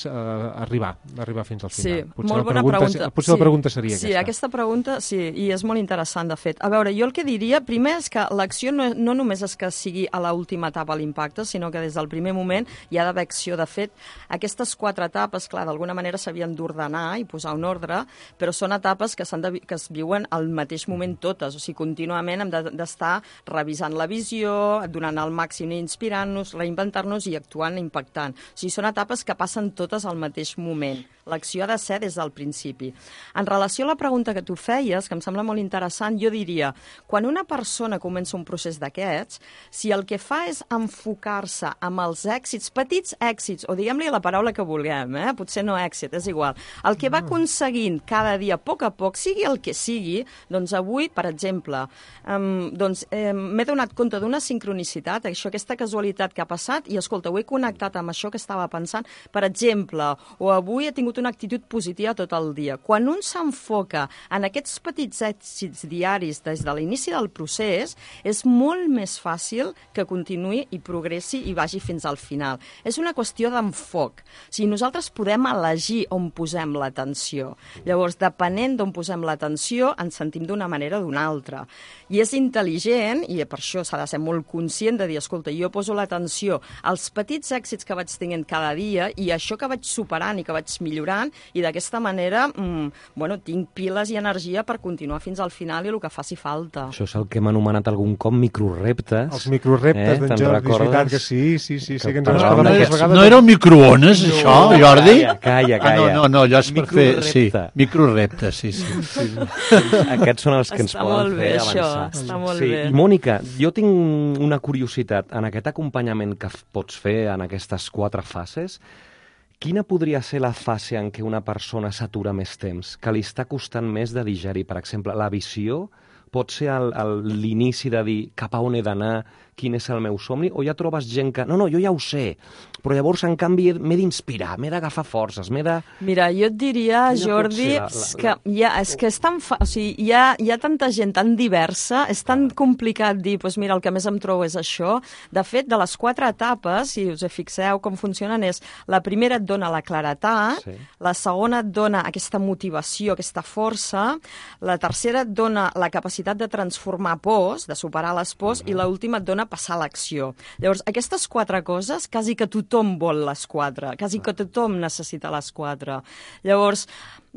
arribar, arribar fins al final? Sí, potser molt bona pregunta, pregunta. Potser sí, la pregunta seria sí, aquesta. Sí, aquesta pregunta, sí, i és molt interessant, de fet. A veure, jo el que diria, primer és que l'acció no, no només és que sigui a l'última etapa l'impacte, sinó que des del primer moment hi ha d'haver acció. De fet, aquestes quatre etapes, clar, d'alguna manera s'havien d'ordenar i posar un ordre, però són etapes que, de, que es viuen al mateix moment totes, o sigui, contínuament hem de d'estar revisant la visió, donant el màxim i inspirant-nos, reinventar-nos i actuant, impactant. O sigui, són etapes que passen totes al mateix moment. L'acció ha de ser des del principi. En relació a la pregunta que tu feies, que em sembla molt interessant, jo diria, quan una persona comença un procés d'aquests, si el que fa és enfocar-se amb els èxits, petits èxits, o diguem-li la paraula que vulguem, eh? Potser no èxit, és igual, el que va aconseguint cada dia, a poc a poc, sigui el que sigui, doncs avui, per exemple, um, doncs, eh, m'he donat compte d'una sincronicitat, això, aquesta casualitat que ha passat, i escolta, ho he connectat amb això que estava pensant, per exemple, o avui he tingut una actitud positiva tot el dia. Quan un s'enfoca en aquests petits èxits diaris des de l'inici del procés, és molt més fàcil que continuï i progressi i vagi fins al final. És una qüestió d'enfoc. O sigui, nosaltres podem elegir on posem l'atenció. Llavors, depenent d'on posem l'atenció, ens sentim d'una manera o d'una altra. I és intel·ligent, i per això s'ha de ser molt conscient de dir, escolta, jo poso l'atenció als petits èxits que vaig tenint cada dia i això que vaig superant i que vaig millorant, i d'aquesta manera mmm, bueno, tinc piles i energia per continuar fins al final i el que faci falta. Això és el que hem anomenat algun cop microreptes. Els microreptes, eh? d'en Jordi, és veritat que sí, sí, sí, sí que ens no, no, no, no era un microones, no, això, Jordi? Calla, calla, calla. Ah, no, no, no, allò és per fer... Sí, microreptes, sí, sí. sí. Aquests són els que ens està poden bé, fer això, avançar. Està molt sí. bé. I Mònica, jo tinc una curiositat. En aquest acompanyament que pots fer en aquestes quatre fases, quina podria ser la fase en què una persona s'atura més temps, que li està costant més de digerir? Per exemple, la visió pot ser l'inici de dir cap a on he d'anar, quin és el meu somni, o ja trobes gent que... No, no, jo ja ho sé, però llavors, en canvi, m'he d'inspirar, m'he d'agafar forces, m'he de... Mira, jo et diria, Jordi, la, la, la... que, ja, és que és tan fa... o sigui, hi, ha, hi ha tanta gent tan diversa, és tan complicat dir, doncs mira, el que més em trobo és això. De fet, de les quatre etapes, si us fixeu com funcionen, és la primera et dona la claretat, sí. La segona et dona aquesta motivació, aquesta força, la tercera et dona la capacitat de transformar pors, de superar les pors, uh-huh. I l'última et dona passar a l'acció. Llavors, aquestes quatre coses, quasi que tothom vol les quatre, quasi que tothom necessita les quatre. Llavors,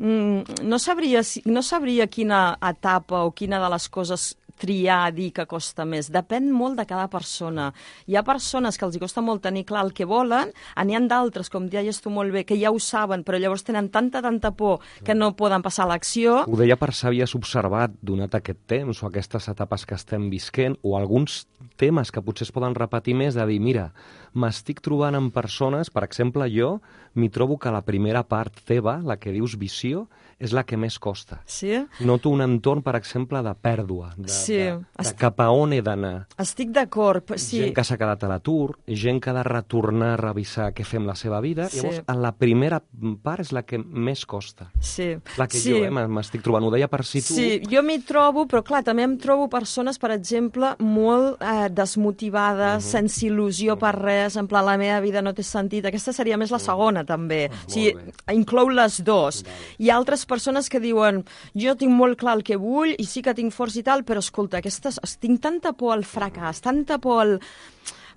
no sabria, no sabria quina etapa o quina de les coses triar, dir que costa més. Depèn molt de cada persona. Hi ha persones que els hi costa molt tenir clar el que volen, n'hi ha d'altres, com deies tu molt bé, que ja ho saben, però llavors tenen tanta, tanta por que no poden passar a l'acció. Ho deia per si havies observat, donat aquest temps o aquestes etapes que estem visquent, o alguns temes que potser es poden repetir més, de dir, mira, m'estic trobant amb persones, per exemple, jo m'hi trobo que la primera part teva, la que dius visió, és la que més costa. Sí? Noto un entorn, per exemple, de pèrdua, de, Sí. de, de Estic- cap a on he d'anar. Estic d'acord, però sí. Gent que s'ha quedat a l'atur, gent que ha de retornar a revisar què fem la seva vida. Sí. Llavors, en la primera part és la que més costa. Sí. La que sí. jo eh, m'estic trobant. Ho deia per si tu... Sí, jo m'hi trobo, però clar, també em trobo persones, per exemple, molt eh, desmotivades, Mhm. sense il·lusió per res, en plan, la meva vida no té sentit. Aquesta seria més la segona, també. O sigui, bé. inclou les dues. Hi ha altres persones que diuen, jo tinc molt clar el que vull i sí que tinc força i tal, però escolta, aquestes, tinc tanta por al fracàs, tanta por al...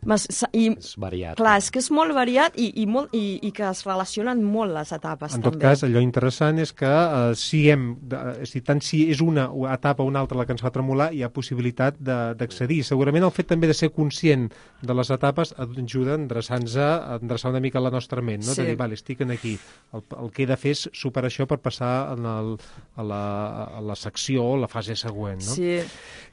Mas, i, És variat. clar, és que és molt variat i, i, molt, i, i que es relacionen molt les etapes, En també. tot cas, allò interessant és que eh, si hem, de, és a dir, tant si és una etapa o una altra la que ens fa tremolar, hi ha possibilitat de- d'accedir. Segurament el fet també de ser conscient de les etapes ajuda a endreçar-nos, a endreçar una mica la nostra ment, no? Sí. De dir, vale, estic en aquí. El, el que he de fer és superar això per passar en el, a, la, a la secció o la fase següent, no? Sí.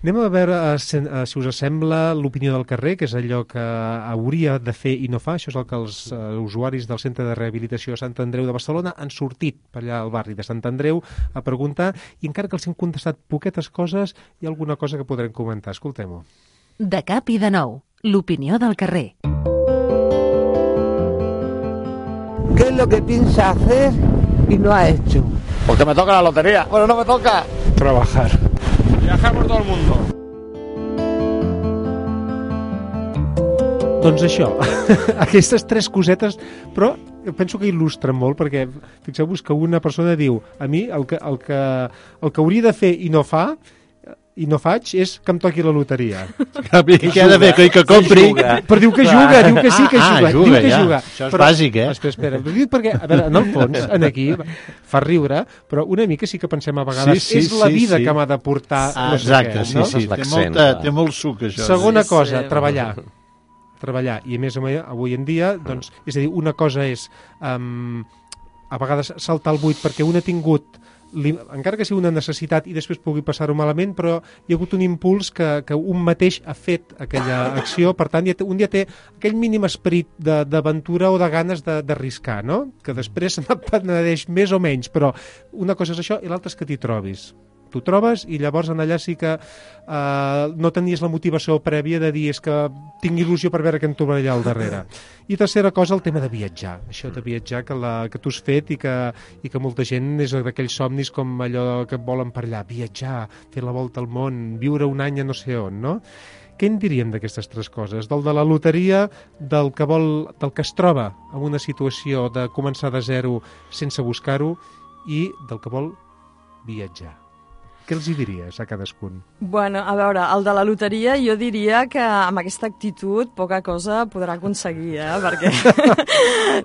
Anem a veure eh, si, eh, si us sembla l'opinió del carrer, que és allò que hauria de fer i no fa. Això és el que els eh, usuaris del Centre de Rehabilitació Sant Andreu de Barcelona han sortit per allà al barri de Sant Andreu a preguntar, i encara que els hem contestat poquetes coses, hi ha alguna cosa que podrem comentar. Escoltem-ho. De cap i de nou, l'opinió del carrer. ¿Qué es lo que piensa hacer y no ha hecho? Porque me toca la lotería. Bueno, no me toca. Trabajar. Viajar por todo el mundo. Doncs això, aquestes tres cosetes, però penso que il·lustren molt, perquè fixeu-vos que una persona diu, a mi el que, el que, el que hauria de fer i no fa, i no faig, és que em toqui la loteria. I què ha de fer? Que, que compri... Però diu que juga, diu que sí que Ah, juga. ah, juga, diu que ja. juga. Això és però, bàsic, eh? Espera, espera, però dic perquè, a veure, en el fons, en aquí, fa riure, però una mica sí que pensem a vegades, Sí, sí, és la sí, vida sí. que m'ha de portar... Ah, no sé exacte, què, sí, no? sí. És Té, l'accent, molta, clar. té molt suc, això. Segona Sí, cosa, sí. treballar. Treballar. I a més, avui en dia, doncs, és a dir, una cosa és um, a vegades saltar el buit perquè un ha tingut, li, encara que sigui una necessitat i després pugui passar-ho malament, però hi ha hagut un impuls que, que un mateix ha fet aquella acció, per tant, ja té, un dia té aquell mínim esperit de- d'aventura o de ganes de- d'arriscar, no? Que després se'n penedeix més o menys, però una cosa és això i l'altra és que t'hi trobis. T'ho trobes i llavors en allà sí que eh, no tenies la motivació prèvia de dir és que tinc il·lusió per veure què em trobaré allà al darrere. I tercera cosa, el tema de viatjar. Això de viatjar que, la, que tu has fet i que, i que molta gent és d'aquells somnis com allò que volen per allà. Viatjar, fer la volta al món, viure un any a no sé on, no? Què en diríem d'aquestes tres coses? Del de la loteria, del que, vol, del que es troba en una situació de començar de zero sense buscar-ho i del que vol viatjar. Què els hi diries a cadascun? Bueno, a veure, el de la loteria jo diria que amb aquesta actitud poca cosa podrà aconseguir, eh? Perquè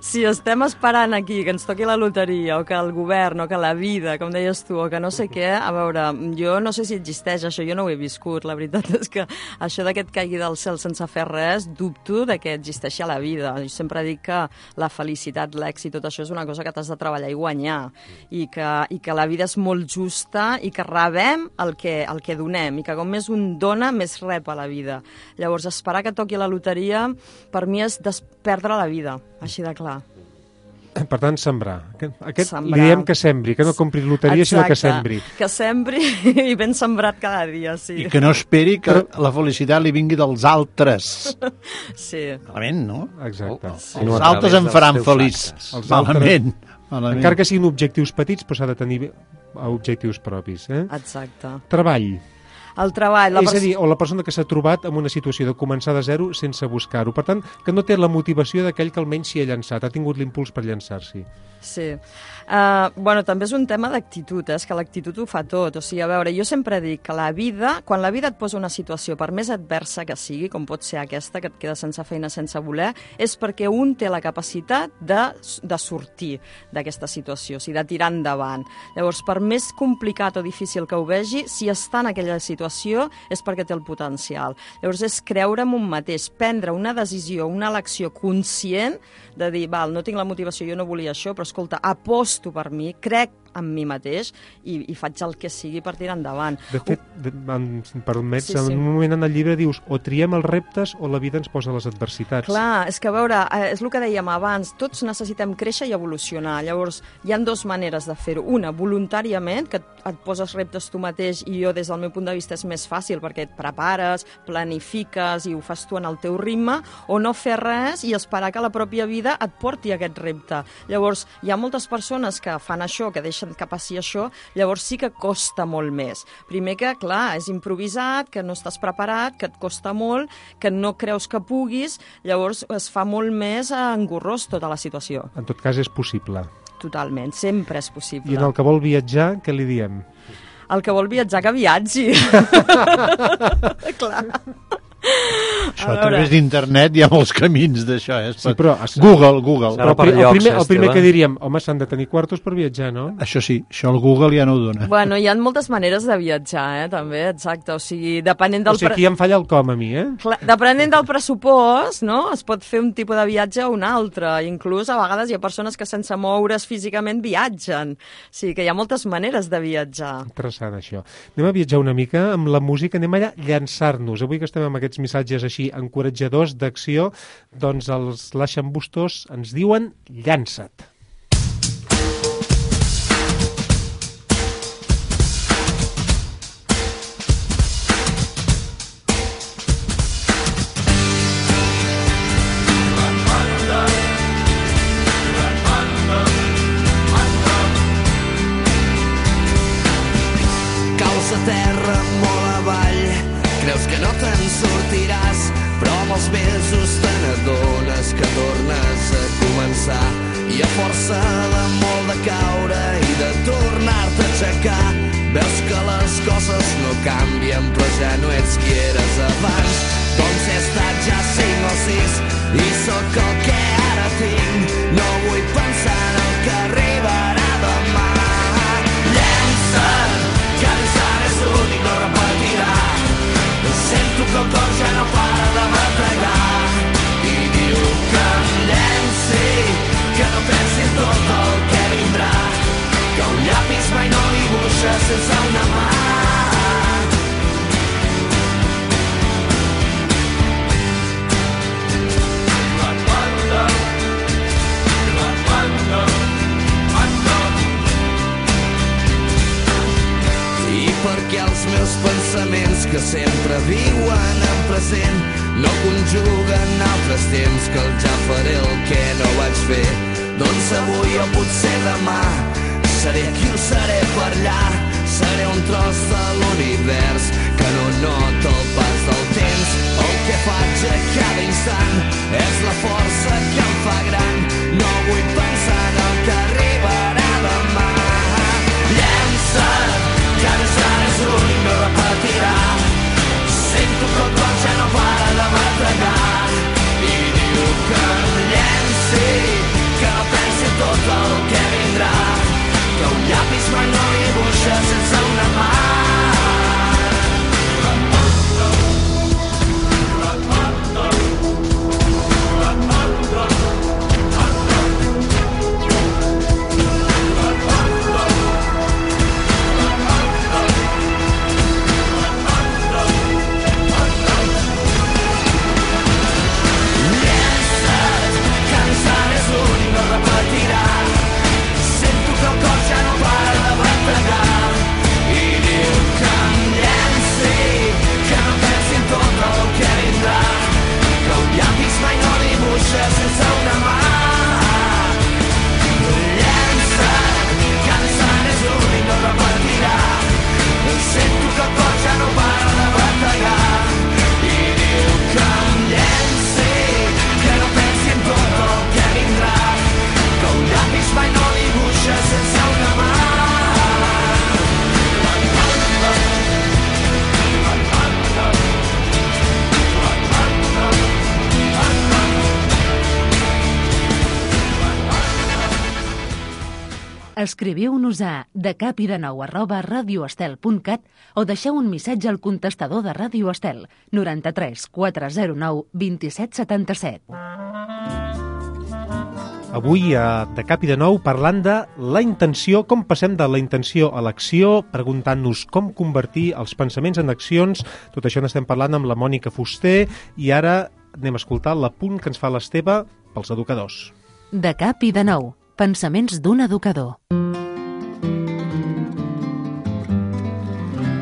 si estem esperant aquí que ens toqui la loteria o que el govern o que la vida, com deies tu, o que no sé què, a veure, jo no sé si existeix això, jo no ho he viscut, la veritat és que això de que et caigui del cel sense fer res, dubto de que existeixi a la vida. Jo sempre dic que la felicitat, l'èxit, tot això és una cosa que t'has de treballar i guanyar, i que, i que la vida és molt justa i que rebem el que, el que donem i que com més un dona, més rep a la vida. Llavors, esperar que toqui la loteria per mi és perdre la vida, així de clar. Per tant, sembrar. Aquest Sembrar. li diem que sembri, que no compri loteria, sinó que sembri. Que sembri i ben sembrat cada dia, sí. I que no esperi que la felicitat li vingui dels altres. Sí. Malament, no? Exacte. Sí. No Els a altres través em dels faran teus feliç. actes. Els altres- Malament. Malament. Encara que siguin objectius petits, però s'ha de tenir objectius propis. Eh? Exacte. Treball. El treball... La És a pers- dir, o la persona que s'ha trobat en una situació de començar de zero sense buscar-ho. Per tant, que no té la motivació d'aquell que almenys s'hi ha llançat, ha tingut l'impuls per llançar-s'hi. Sí. Uh, bueno, també és un tema d'actitud, eh? És que l'actitud ho fa tot. O sigui, a veure, jo sempre dic que la vida, quan la vida et posa una situació, per més adversa que sigui, com pot ser aquesta, que et queda sense feina, sense voler, és perquè un té la capacitat de, de sortir d'aquesta situació, o sigui, de tirar endavant. Llavors, per més complicat o difícil que ho vegi, si està en aquella situació, situació és perquè té el potencial. Llavors és creure en un mateix, prendre una decisió, una elecció conscient de dir, val, no tinc la motivació, jo no volia això, però escolta, aposto per mi, crec en mi mateix i, i faig el que sigui per tirar endavant. De fet, de, en, si em permets, Sí, sí. en un moment en el llibre dius o triem els reptes o la vida ens posa les adversitats. Clar, és que a veure, eh, és el que dèiem abans, tots necessitem créixer i evolucionar. Llavors, hi ha dues maneres de fer-ho. Una, voluntàriament, que et, et poses reptes tu mateix, i jo, des del meu punt de vista, és més fàcil, perquè et prepares, planifiques i ho fas tu en el teu ritme, o no fer res i esperar que la pròpia vida et porti a aquest repte. Llavors, hi ha moltes persones que fan això, que deixen que passi això, llavors sí que costa molt més. Primer que, clar, és improvisat, que no estàs preparat, que et costa molt, que no creus que puguis, llavors es fa molt més engorrós tota la situació. En tot cas, és possible. Totalment, sempre és possible. I en el que vol viatjar, què li diem? El que vol viatjar, que viatgi. Clar. Això a través d'internet hi ha molts camins d'això, eh? Sí, però... Google, Google. Serà Però per el, llocs, primer, el primer Esteve. que diríem, home, s'han de tenir quartos per viatjar, no? Això sí, això el Google ja no ho dona. Bueno, hi ha moltes maneres de viatjar, eh, també, exacte. O sigui, depenent O del... sigui, aquí em falla el com a mi, eh? Clar, depenent del pressupost, no? Es pot fer un tipus de viatge o un altre. Inclús, a vegades, hi ha persones que sense moure's físicament viatgen. O sigui, que hi ha moltes maneres de viatjar. Interessant, això. Anem a viatjar una mica amb la música, anem allà a llançar-nos. Avui que estem amb aquests missatges així encoratjadors d'acció, doncs els laixambustos ens diuen llança't. Caus a terra molt avall, creus que no te'n sortiràs, però amb els mesos te n'adones que tornes a començar. I a força de molt de caure i de tornar-te a aixecar, veus que les coses no canvien, però ja no ets qui eres abans. Doncs he estat ja cinc o sis i sóc el que ara tinc. No vull pensar en el que arribarà demà. Llença't, que l'ensant és únic, no repetirà. Sento que el cor ja no para de bategar i diu que em llenci, que no pensi en tot el que vindrà, que un llapis mai no dibuixa sense una mà. I perquè els meus pensaments que sempre viuen en present no conjuguen altres temps que el ja faré el que no vaig fer. Doncs avui o potser demà seré aquí o seré per allà, seré un tros de l'univers que no nota el pas del temps. El que faig a cada instant és la força que em fa gran. No vull pensar en el que arribarà demà. Llença't, que l'ensant és únic, no repetirà. Sento que el cor ja no para de bategar i diu que em llenci, que no pensi en tot el que vindrà, que un llapis mai no dibuixa sense una mà. Escriviu-nos a decapidenou arroba radioestel punt cat o deixeu un missatge al contestador de Ràdio Estel noranta-tres quatre zero nou vint-i-set setanta-set. Avui, a De Cap i de Nou, parlant de la intenció, com passem de la intenció a l'acció, preguntant-nos com convertir els pensaments en accions. Tot això n'estem parlant amb la Mònica Fuster i ara anem a escoltar l'apunt que ens fa l'Esteve pels educadors. De Cap i de Nou, pensaments d'un educador.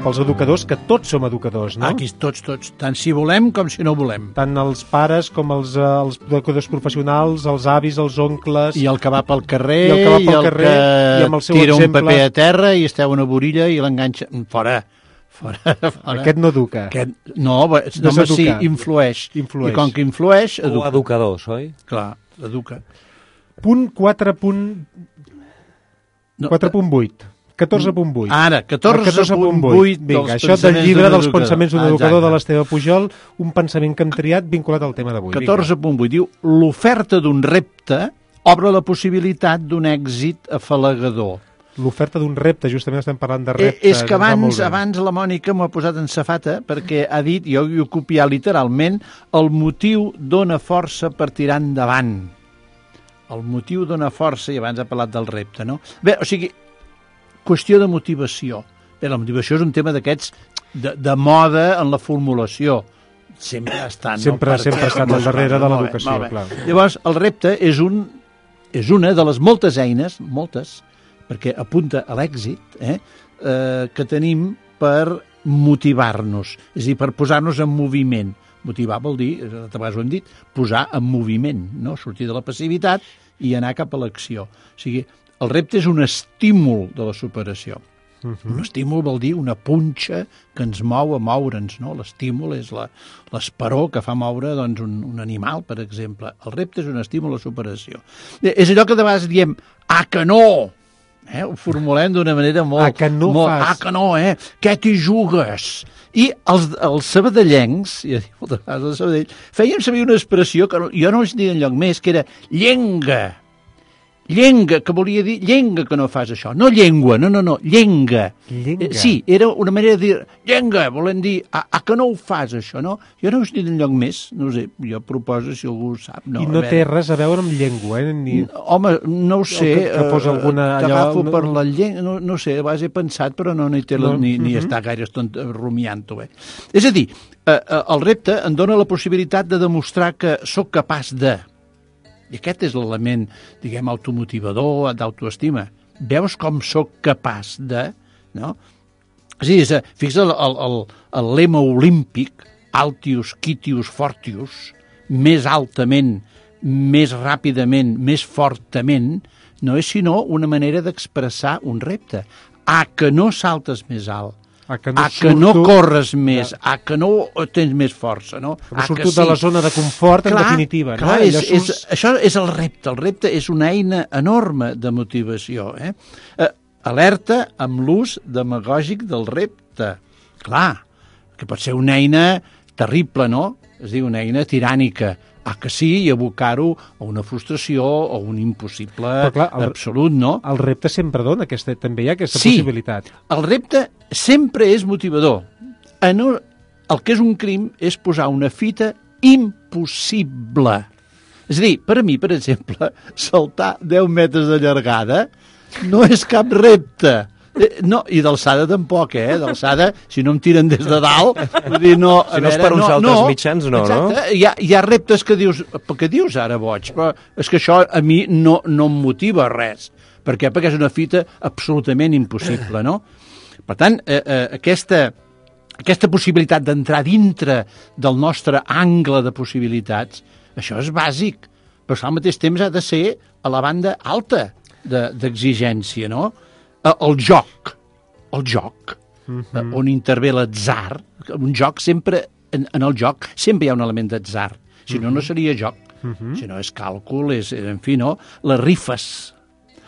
Pels educadors, que tots som educadors, no? Aquí tots, tots, tant si volem com si no volem. Tant els pares com els, eh, els educadors professionals, els avis, els oncles... I el que va pel carrer, i el que, va pel i el carrer, que i amb el seu tira exemple... un paper a terra i esteu una borilla i l'enganxa... Fora, fora, fora. Aquest no educa. Aquest... No, va, no, home, sí, influeix. influeix. I com que influeix, educa. O educadors, oi? Clar, educa. Punt quatre punt vuit. catorze punt vuit. Ara, catorze punt vuit. Vinga, això del llibre dels pensaments d'un educador de l'Esteve Pujol, un pensament que hem triat vinculat al tema d'avui. catorze punt vuit diu, l'oferta d'un repte obre la possibilitat d'un èxit afalagador. L'oferta d'un repte, justament estem parlant de reptes. Eh, és que abans, abans la Mònica m'ho ha posat en safata perquè ha dit, jo ho he copiat literalment, el motiu dona força per tirar endavant. El motiu dona força, i abans ha parlat del repte, no? Bé, o sigui, qüestió de motivació. Bé, la motivació és un tema d'aquests de, de moda en la formulació. Sempre està, no? Sempre, Perquè, sempre ha estat al darrere de l'educació, clar. Llavors, el repte és, un, és una de les moltes eines, moltes, perquè apunta a l'èxit, eh, eh, que tenim per motivar-nos, és a dir, per posar-nos en moviment. Motivar vol dir, a vegades ho hem dit, posar en moviment, no? Sortir de la passivitat i anar cap a l'acció. O sigui, el repte és un estímul de la superació. Uh-huh. Un estímul vol dir una punxa que ens mou a moure'ns, no? L'estímul és la, l'esperó que fa moure doncs, un, un animal, per exemple. El repte és un estímul a la superació. És allò que de vegades diem, ah, que no! Eh? Ho formulem d'una manera molt... Ah, que no molt, fas. Ah, que no, eh? Què t'hi jugues? I els, els sabadellencs, ja dic moltes vegades els Sabadell, feien servir una expressió que jo no els dic enlloc més, que era llenga. Llenga, que volia dir llenga que no fas això. No llengua, no, no, no, llenga. Llenga. Eh, sí, era una manera de dir llenga, volen dir, a, a que no ho fas això, no? Jo no ho he dit enlloc més, no sé, jo proposo si algú ho sap. No, I no té res a veure amb llengua, eh? Ni... Home, no ho sé. Que, que posa alguna... T'agafo allò... per la llengua, no, no sé, a base he pensat, però no, no hi té la, no. ni, ni uh-huh. està gaire estona rumiant-ho. Eh? És a dir, eh, eh, el repte em dona la possibilitat de demostrar que sóc capaç de... I aquest és l'element, diguem, automotivador, d'autoestima. Veus com sóc capaç de... No? És a dir, fixa't el, el, el lema olímpic, Altius, Quitius, Fortius, més altament, més ràpidament, més fortament, no és sinó una manera d'expressar un repte. A que no saltes més alt, a que no, a que no corres més, a que no tens més força, no? Que no surto sí. de la zona de confort, clar, en definitiva. Clar, no? és, és, això és el repte. El repte és una eina enorme de motivació. Eh? Eh, alerta amb l'ús demagògic del repte. Clar, que pot ser una eina terrible, no? És a dir, una eina tirànica. Ah, que sí, i abocar-ho a una frustració o un impossible clar, el, absolut, no? El repte sempre dona, aquesta, també hi ha aquesta sí, possibilitat. El repte sempre és motivador. En un, el que és un crim és posar una fita impossible. És a dir, per a mi, per exemple, saltar deu metres de llargada no és cap repte. No, i d'alçada tampoc, eh? D'alçada, si no em tiren des de dalt... Vull dir, no, si no és per uns no, altres no, mitjans, no, exacte, no? Hi ha, hi ha reptes que dius, què dius ara, boig? Però és que això a mi no, no em motiva res. Per què? Perquè és una fita absolutament impossible, no? Per tant, eh, eh, aquesta, aquesta possibilitat d'entrar dintre del nostre angle de possibilitats, això és bàsic, però al mateix temps ha de ser a la banda alta d'exigència, no? El joc, el joc, uh-huh. on intervé l'atzar, un joc sempre, en, en el joc sempre hi ha un element d'atzar, si no, uh-huh. no seria joc, uh-huh. si no és càlcul, és, en fi, no? Les rifes,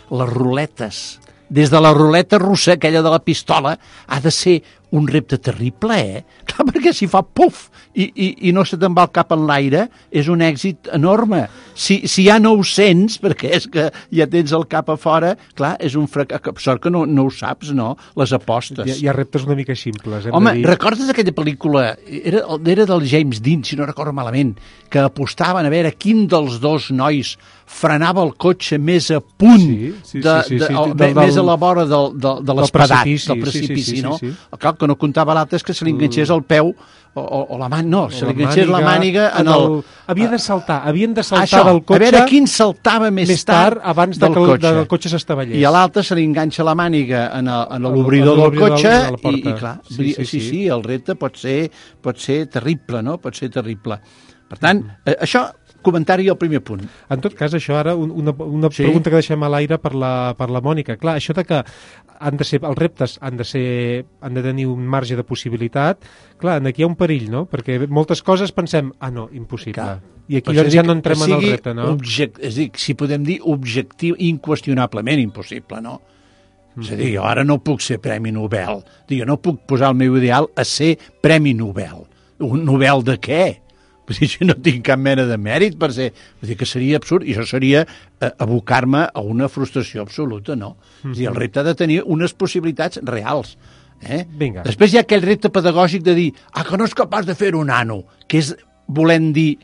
les ruletes, des de la ruleta russa, aquella de la pistola, ha de ser un repte terrible, eh? Clar, perquè si fa puf i, i, i no se te'n va el cap en l'aire, és un èxit enorme. Si, si hi ha nou-cents, perquè és que ja tens el cap a fora, clar, és un fracàs. Sort que no, no ho saps, no? Les apostes. Hi ha, hi ha reptes una mica simples. Hem Home, de dir... recordes aquella pel·lícula? Era, era del James Dean, si no recordo malament, que apostaven a veure quin dels dos nois frenava el cotxe més a punt, sí, sí, de, sí, sí, sí, de, el, del, més a la vora del, del, de l'espadat, precipici, del precipici, sí, sí, sí, no? sí, sí. Clar, que no comptava l'altre és que se li enganxés el peu o, o, o la màniga, no, O se li enganxés la màniga en el... el... Havia de saltar, havien de saltar Això, del cotxe... a veure quin saltava més, més tard abans de del que el, cotxe. del cotxe s'estavellés. I a l'altre se li enganxa la màniga en, el, en En l'obridor del cotxe de la porta. i, i clar, Sí, sí sí, sí, sí, sí. sí, el repte pot ser, pot ser terrible, no? Pot ser terrible. Per tant, eh, això, comentari al primer punt. En tot cas, això ara, un- una, una Sí. pregunta que deixem a l'aire per la, per la Mònica. Clar, això de que han de ser, els reptes han de, ser, han de tenir un marge de possibilitat, clar, aquí hi ha un perill, no? Perquè moltes coses pensem, ah, no, impossible. Clar. I aquí Per això doncs ja dic no entrem que en el sigui repte, no? Object, és a dir, si podem dir objectiu, inqüestionablement impossible, no? Mm. És a dir, jo ara no puc ser Premi Nobel. Dic, jo no puc posar el meu ideal a ser Premi Nobel. Un Nobel de què? Vull dir, jo no tinc cap mena de mèrit per ser... Vull dir que seria absurd, i això seria eh, abocar-me a una frustració absoluta, no? Mm-hmm. És a dir, el repte ha de tenir unes possibilitats reals. Eh? Vinga. Després hi ha aquell repte pedagògic de dir ah, que no és capaç de fer un nano, que és volent dir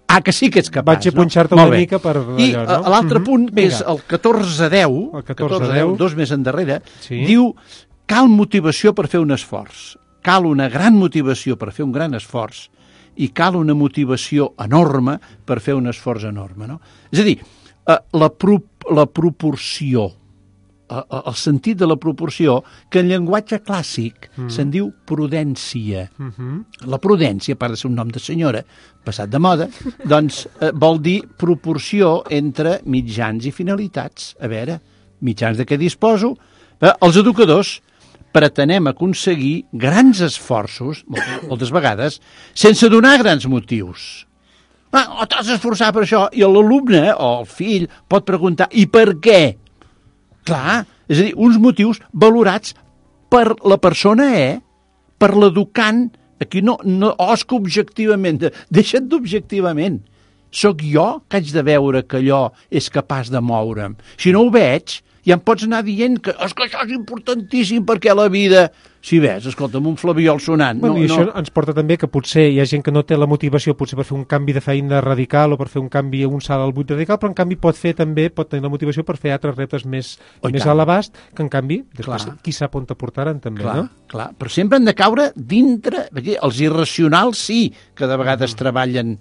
ah, que sí que ets capaç. Vaig a punxar-te no? una mica per I allò, no? l'altre Mhm. punt, que Vinga. és el catorze deu, El catorze deu, dos més endarrere, Sí. diu cal motivació per fer un esforç. Cal una gran motivació per fer un gran esforç i cal una motivació enorme per fer un esforç enorme. No? És a dir, eh, la, pro, la proporció, eh, el sentit de la proporció, que en llenguatge clàssic mm. se'n diu prudència. Mhm. La prudència, a part de ser un nom de senyora, passat de moda, doncs eh, vol dir proporció entre mitjans i finalitats. A veure, mitjans de què disposo? Eh, els educadors pretenem aconseguir grans esforços, moltes, moltes vegades, sense donar grans motius. Ah, oh, t'has d'esforçar per això, i l'alumne o el fill pot preguntar, i per què? Clar, és a dir, uns motius valorats per la persona, eh? Per l'educant. Aquí no, no, oh, és que objectivament, deixa't d'objectivament. Soc jo que haig de veure que allò és capaç de moure'm. Si no ho veig, ja em pots anar dient que, és que això és importantíssim perquè la vida... Si ves, escolta'm, un flabiol sonant. Bueno, no, I això no... ens porta també que potser hi ha gent que no té la motivació potser per fer un canvi de feina radical o per fer un canvi a un salt al buit radical, però en canvi pot fer també, pot tenir la motivació per fer altres reptes més, Oh, i més tant. a l'abast, que en canvi, després, Clar. qui sap on te portaran també, Clar, no? clar, però sempre han de caure dintre... Perquè els irracionals sí que de vegades treballen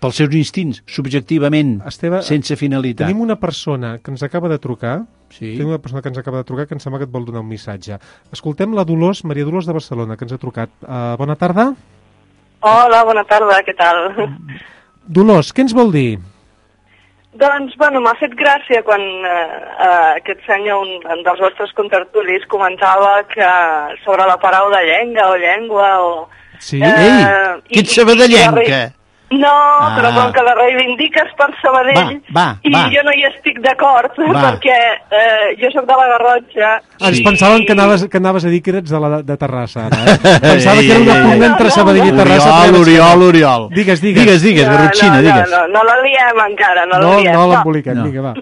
pels seus instints, subjectivament, Esteve, sense finalitat. Tenim una persona que ens acaba de trucar, Sí. tenim una persona que ens acaba de trucar que em sembla que et vol donar un missatge. Escoltem la Dolors, Maria Dolors de Barcelona, que ens ha trucat. Uh, bona tarda. Hola, bona tarda, què tal? Dolors, què ens vol dir? Doncs, bueno, m'ha fet gràcia quan eh, eh, aquest senyor, un, un dels vostres contertulis, comentava que sobre la paraula llenga o llengua o... Sí? Eh, Ei, i- qui et sabadellenca? i- No, ah. però com que la reivindiques per Sabadell, Va, va, i va. jo no hi estic d'acord, Va. perquè eh, jo sóc de la Garrotxa. Ens i- pensàvem que anaves, que anaves a dir que eres de, la, de Terrassa, ara, eh? Pensava Ei, que era una ei, pugna ei. entre Sabadell i Terrassa. Oriol, però ja Oriol, veig Oriol. que no. Digues, digues. Digues, digues, no, Garrotxina, no, digues. No, no, no la liem encara, no, No, la liem. no l'emboliquem, No. vinga, va.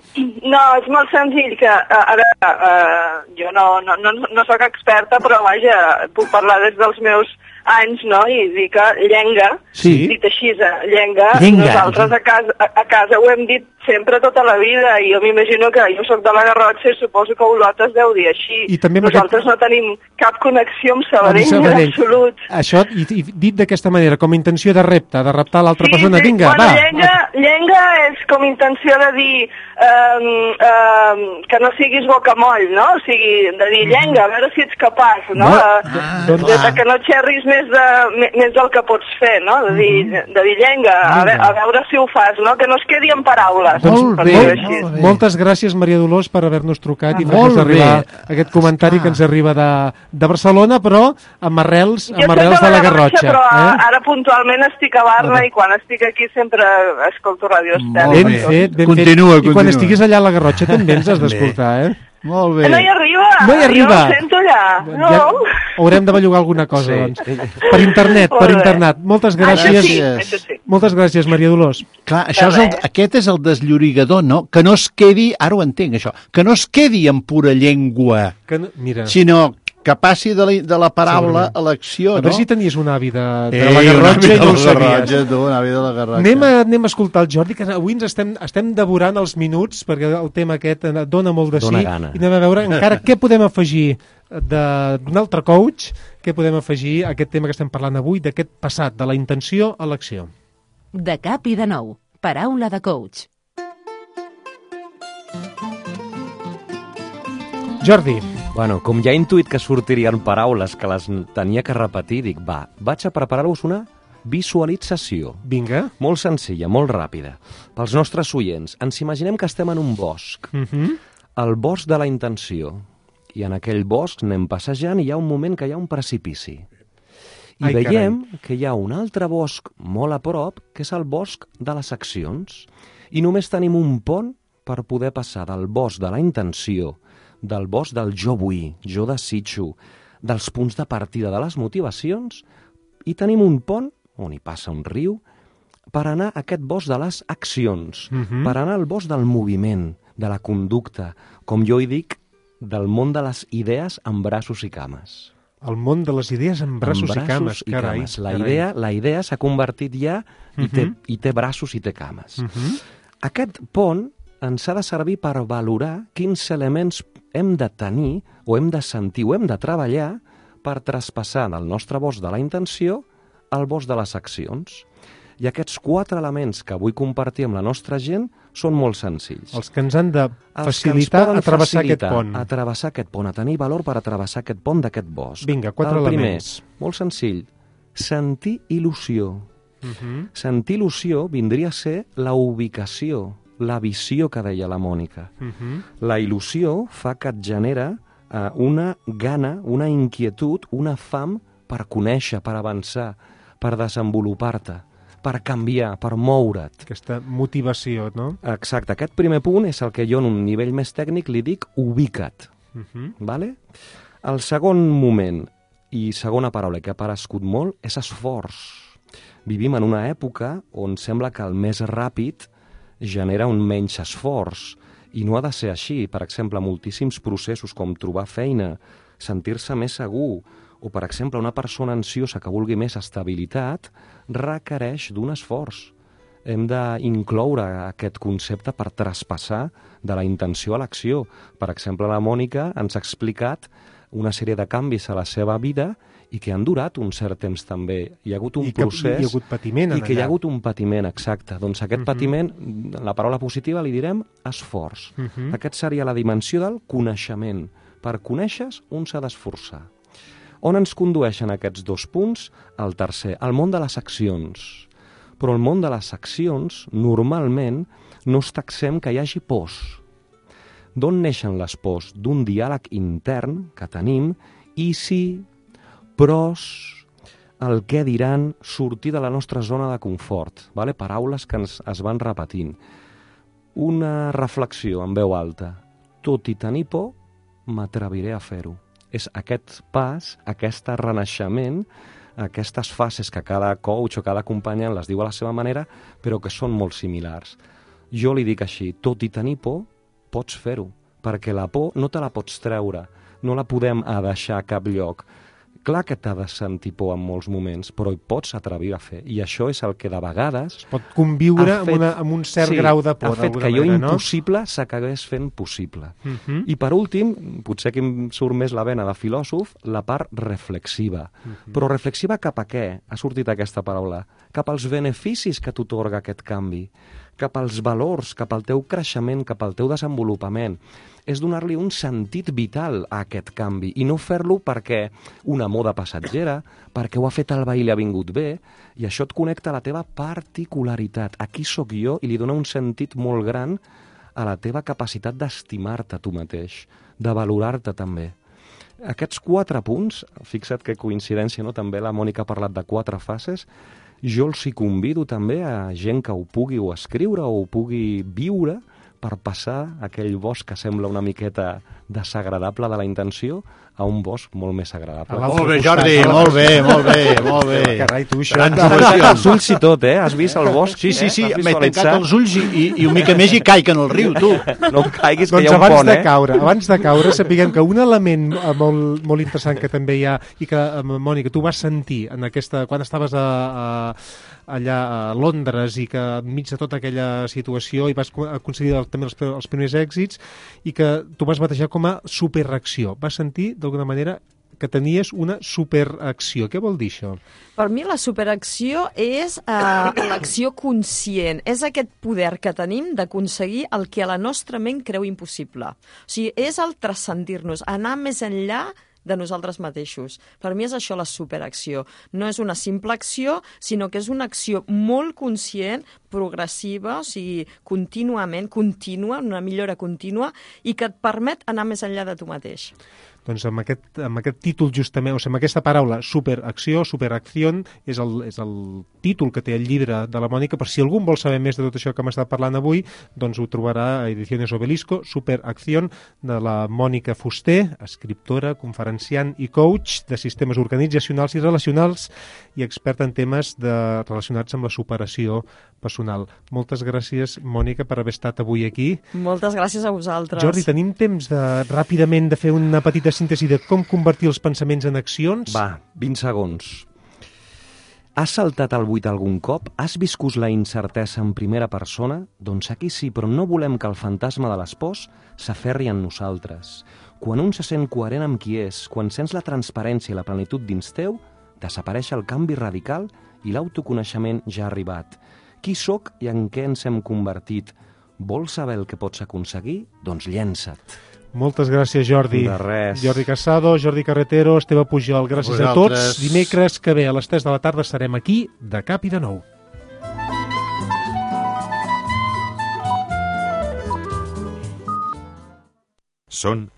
No, és molt senzill que, a, a veure, uh, jo no, no, no, no sóc experta, però vaja, puc parlar des dels meus anys, no?, i dir que llenga, Sí. dit així, eh, llenga, Llenga. nosaltres a casa, a, a casa ho hem dit sempre tota la vida, i jo m'imagino que jo sóc de la Garrotxa i suposo que Olot es deu dir així. I també amb Nosaltres aquest- no tenim cap connexió amb Sabadell, Amb Sabadell. en absolut. Això, i, i dit d'aquesta manera, com a intenció de repte, de reptar l'altra persona, sí, vinga, bueno, va. Llenga, llenga és com intenció de dir um, um, que no siguis bocamoll, no? O sigui, de dir llenga, a veure si ets capaç, no? No, Uh, ah, de, de, clar. de que no xerris més, de, me- més del que pots fer, no? De dir, de dir llenga, a, ve, a veure si ho fas, no? Que no es quedi en paraules. Molt per bé, dir-ho molt, així. molt bé. moltes gràcies, Maria Dolors, per haver-nos trucat i Ah, fer-nos molt arribar bé. aquest comentari Esclar. que ens arriba de, de Barcelona, però amb arrels, Jo amb soc arrels de la Garrotxa. però Eh? ara puntualment estic a Barna Vale. i quan estic aquí sempre escolto Ràdio Estel. Molt Ben bé. fet, ben Continua, fet. I quan continua. estiguis allà a la Garrotxa també ens has Bé. d'escoltar, eh? Molt bé. No hi arriba. No hi arriba. Jo ho sento allà. No. Ja haurem de bellugar alguna cosa, Sí. doncs. Per internet, per Molt bé. internet. Moltes gràcies. Això sí, això sí. Moltes gràcies, Maria Dolors. Clar, això és el, aquest és el desllorigador, no? Que no es quedi, ara ho entenc, això, que no es quedi en pura llengua, Que no, mira, sinó que passi de la, de la paraula Segurament. a l'acció, a no? veure si tenies un avi de, de Ei, la Garrotxa un i no ho avi de la sabies. Garrotxa, tu, un avi de la Garrotxa. Anem a, anem a escoltar el Jordi, que avui ens estem, estem devorant els minuts, perquè el tema aquest eh, dona molt de Dona sí, gana. i anem a veure encara què podem afegir de- d'un altre coach, què podem afegir a aquest tema que estem parlant avui, d'aquest passat, de la intenció a l'acció. De cap i de nou. Paraula de coach. Jordi, Bueno, com ja he intuït que sortirien paraules que les tenia que repetir, dic, va, vaig a preparar-vos una visualització. vinga. Molt senzilla, molt ràpida. Pels nostres oients, ens imaginem que estem en un bosc. Uh -huh. El bosc de la intenció. I en aquell bosc anem passejant i hi ha un moment que hi ha un precipici. I Ai, veiem que hi ha un altre bosc molt a prop, que és el bosc de les accions. I només tenim un pont per poder passar del bosc de la intenció, del bosc del jo vull, jo desitjo, dels punts de partida de les motivacions, i tenim un pont on hi passa un riu per anar a aquest bosc de les accions, Mhm. per anar al bosc del moviment, de la conducta, com jo hi dic, del món de les idees amb braços i cames. El món de les idees amb braços, Amb i cames. i Carai, cames. La carai. idea, la idea s'ha convertit ja i, té, Mhm. i té braços i té cames. Mhm. Aquest pont ens ha de servir per valorar quins elements hem de tenir o hem de sentir o hem de treballar per traspassar del nostre bosc de la intenció al bosc de les accions. I aquests quatre elements que vull compartir amb la nostra gent són molt senzills. Els que ens han de Els que ens facilitar poden a travessar facilitar aquest pont. A travessar aquest pont, a tenir valor per a travessar aquest pont d'aquest bosc. Vinga, quatre El primer, elements. molt senzill, sentir il·lusió. Mhm. Sentir il·lusió vindria a ser la ubicació, la visió que deia la Mònica. Mhm. La il·lusió fa que et genera eh, una gana, una inquietud, una fam per conèixer, per avançar, per desenvolupar-te, per canviar, per moure't. Aquesta motivació, no? Exacte, aquest primer punt és el que jo en un nivell més tècnic li dic ubica't. Mhm. Vale? El segon moment i segona paraula que ha aparegut molt és esforç. Vivim en una època on sembla que el més ràpid genera un menys esforç i no ha de ser així. Per exemple, moltíssims processos com trobar feina, sentir-se més segur o, per exemple, una persona ansiosa que vulgui més estabilitat requereix d'un esforç. Hem d'incloure aquest concepte per traspassar de la intenció a l'acció. Per exemple, la Mònica ens ha explicat una sèrie de canvis a la seva vida i que han durat un cert temps també. Hi ha hagut un I que procés... hi ha hagut patiment en I que hi ha allà. hagut un patiment, exacte. Doncs aquest Mhm. patiment, en la paraula positiva li direm esforç. Mhm. Aquest seria la dimensió del coneixement. Per conèixer, un s'ha d'esforçar. On ens condueixen aquests dos punts? El tercer, el món de les accions. Però el món de les accions, normalment, no està exempt que hi hagi pors. D'on neixen les pors? D'un diàleg intern que tenim i si, pros, el què diran, sortir de la nostra zona de confort. Vale? Paraules que ens es van repetint. Una reflexió en veu alta. Tot i tenir por, m'atreviré a fer-ho. És aquest pas, aquest renaixement, aquestes fases que cada coach o cada acompanyant les diu a la seva manera, però que són molt similars. Jo li dic així, tot i tenir por, pots fer-ho, perquè la por no te la pots treure, no la podem a deixar a cap lloc. Clar que t'ha de sentir por en molts moments, però hi pots atrevir a fer. I això és el que de vegades... Es pot conviure ha amb, fet- una, amb un cert sí, grau de por, ha fet d'alguna que allò manera, no? impossible s'acabés fent possible. Mhm. I per últim, potser que em surt més la vena de filòsof, la part reflexiva. Mhm. Però reflexiva cap a què? Ha sortit aquesta paraula. Cap als beneficis que t'otorga aquest canvi, cap als valors, cap al teu creixement, cap al teu desenvolupament. És donar-li un sentit vital a aquest canvi i no fer-lo perquè una moda passatgera, perquè ho ha fet el veí i li ha vingut bé, i això et connecta a la teva particularitat. Aquí sóc jo i li dona un sentit molt gran a la teva capacitat d'estimar-te tu mateix, de valorar-te també. Aquests quatre punts, fixa't que coincidència, no? També la Mònica ha parlat de quatre fases, jo els hi convido també a gent que ho pugui o escriure o ho pugui viure per passar aquell bosc que sembla una miqueta desagradable de la intenció a un bosc molt més agradable. Molt bé, Jordi, molt bé, molt bé, molt bé. Carai, tu, això... Grans T'has emocions. els ulls i tot, eh? Has vist el bosc? Sí, sí, sí, eh? m'he tancat els ulls i, i, i una mica més i caic en el riu, tu. No em caiguis, que Doncs hi ha un abans pont, de eh? caure, abans de caure, sapiguem que un element eh, molt, molt interessant que també hi ha i que, eh, Mònica, tu vas sentir en aquesta, quan estaves a, a, allà a Londres i que enmig de tota aquella situació i vas aconseguir el, també els, els primers èxits i que tu vas batejar com a superacció. Vas sentir, d'alguna manera, que tenies una superacció. Què vol dir això? Per mi la superacció és eh, l'acció conscient. És aquest poder que tenim d'aconseguir el que a la nostra ment creu impossible. O sigui, és el transcendir-nos, anar més enllà de nosaltres mateixos. Per mi és això la superacció. No és una simple acció, sinó que és una acció molt conscient, progressiva, o sigui, contínuament, contínua, una millora contínua, i que et permet anar més enllà de tu mateix. Doncs amb aquest, amb aquest títol justament, o sigui, amb aquesta paraula superacció, superacció, és el, és el títol que té el llibre de la Mònica. Per si algú vol saber més de tot això que hem estat parlant avui, doncs ho trobarà a Ediciones Obelisco, Superacció, de la Mònica Fuster, escriptora, conferenciant i coach de sistemes organitzacionals i relacionals i experta en temes de, relacionats amb la superació personal. Moltes gràcies, Mònica, per haver estat avui aquí. Moltes gràcies a vosaltres. Jordi, tenim temps de, ràpidament de fer una petita síntesi de com convertir els pensaments en accions? Va, vint segons. Has saltat al buit algun cop? Has viscut la incertesa en primera persona? Doncs aquí sí, però no volem que el fantasma de les pors s'aferri en nosaltres. Quan un se sent coherent amb qui és, quan sents la transparència i la plenitud dins teu, desapareix el canvi radical i l'autoconeixement ja ha arribat. Qui sóc i en què ens hem convertit? Vols saber el que pots aconseguir? Doncs llença't. Moltes gràcies, Jordi. De res. Jordi Casado, Jordi Carretero, Esteve Pujol, gràcies a, a tots. Dimecres que ve a les tres de la tarda estarem aquí, de cap i de nou. Són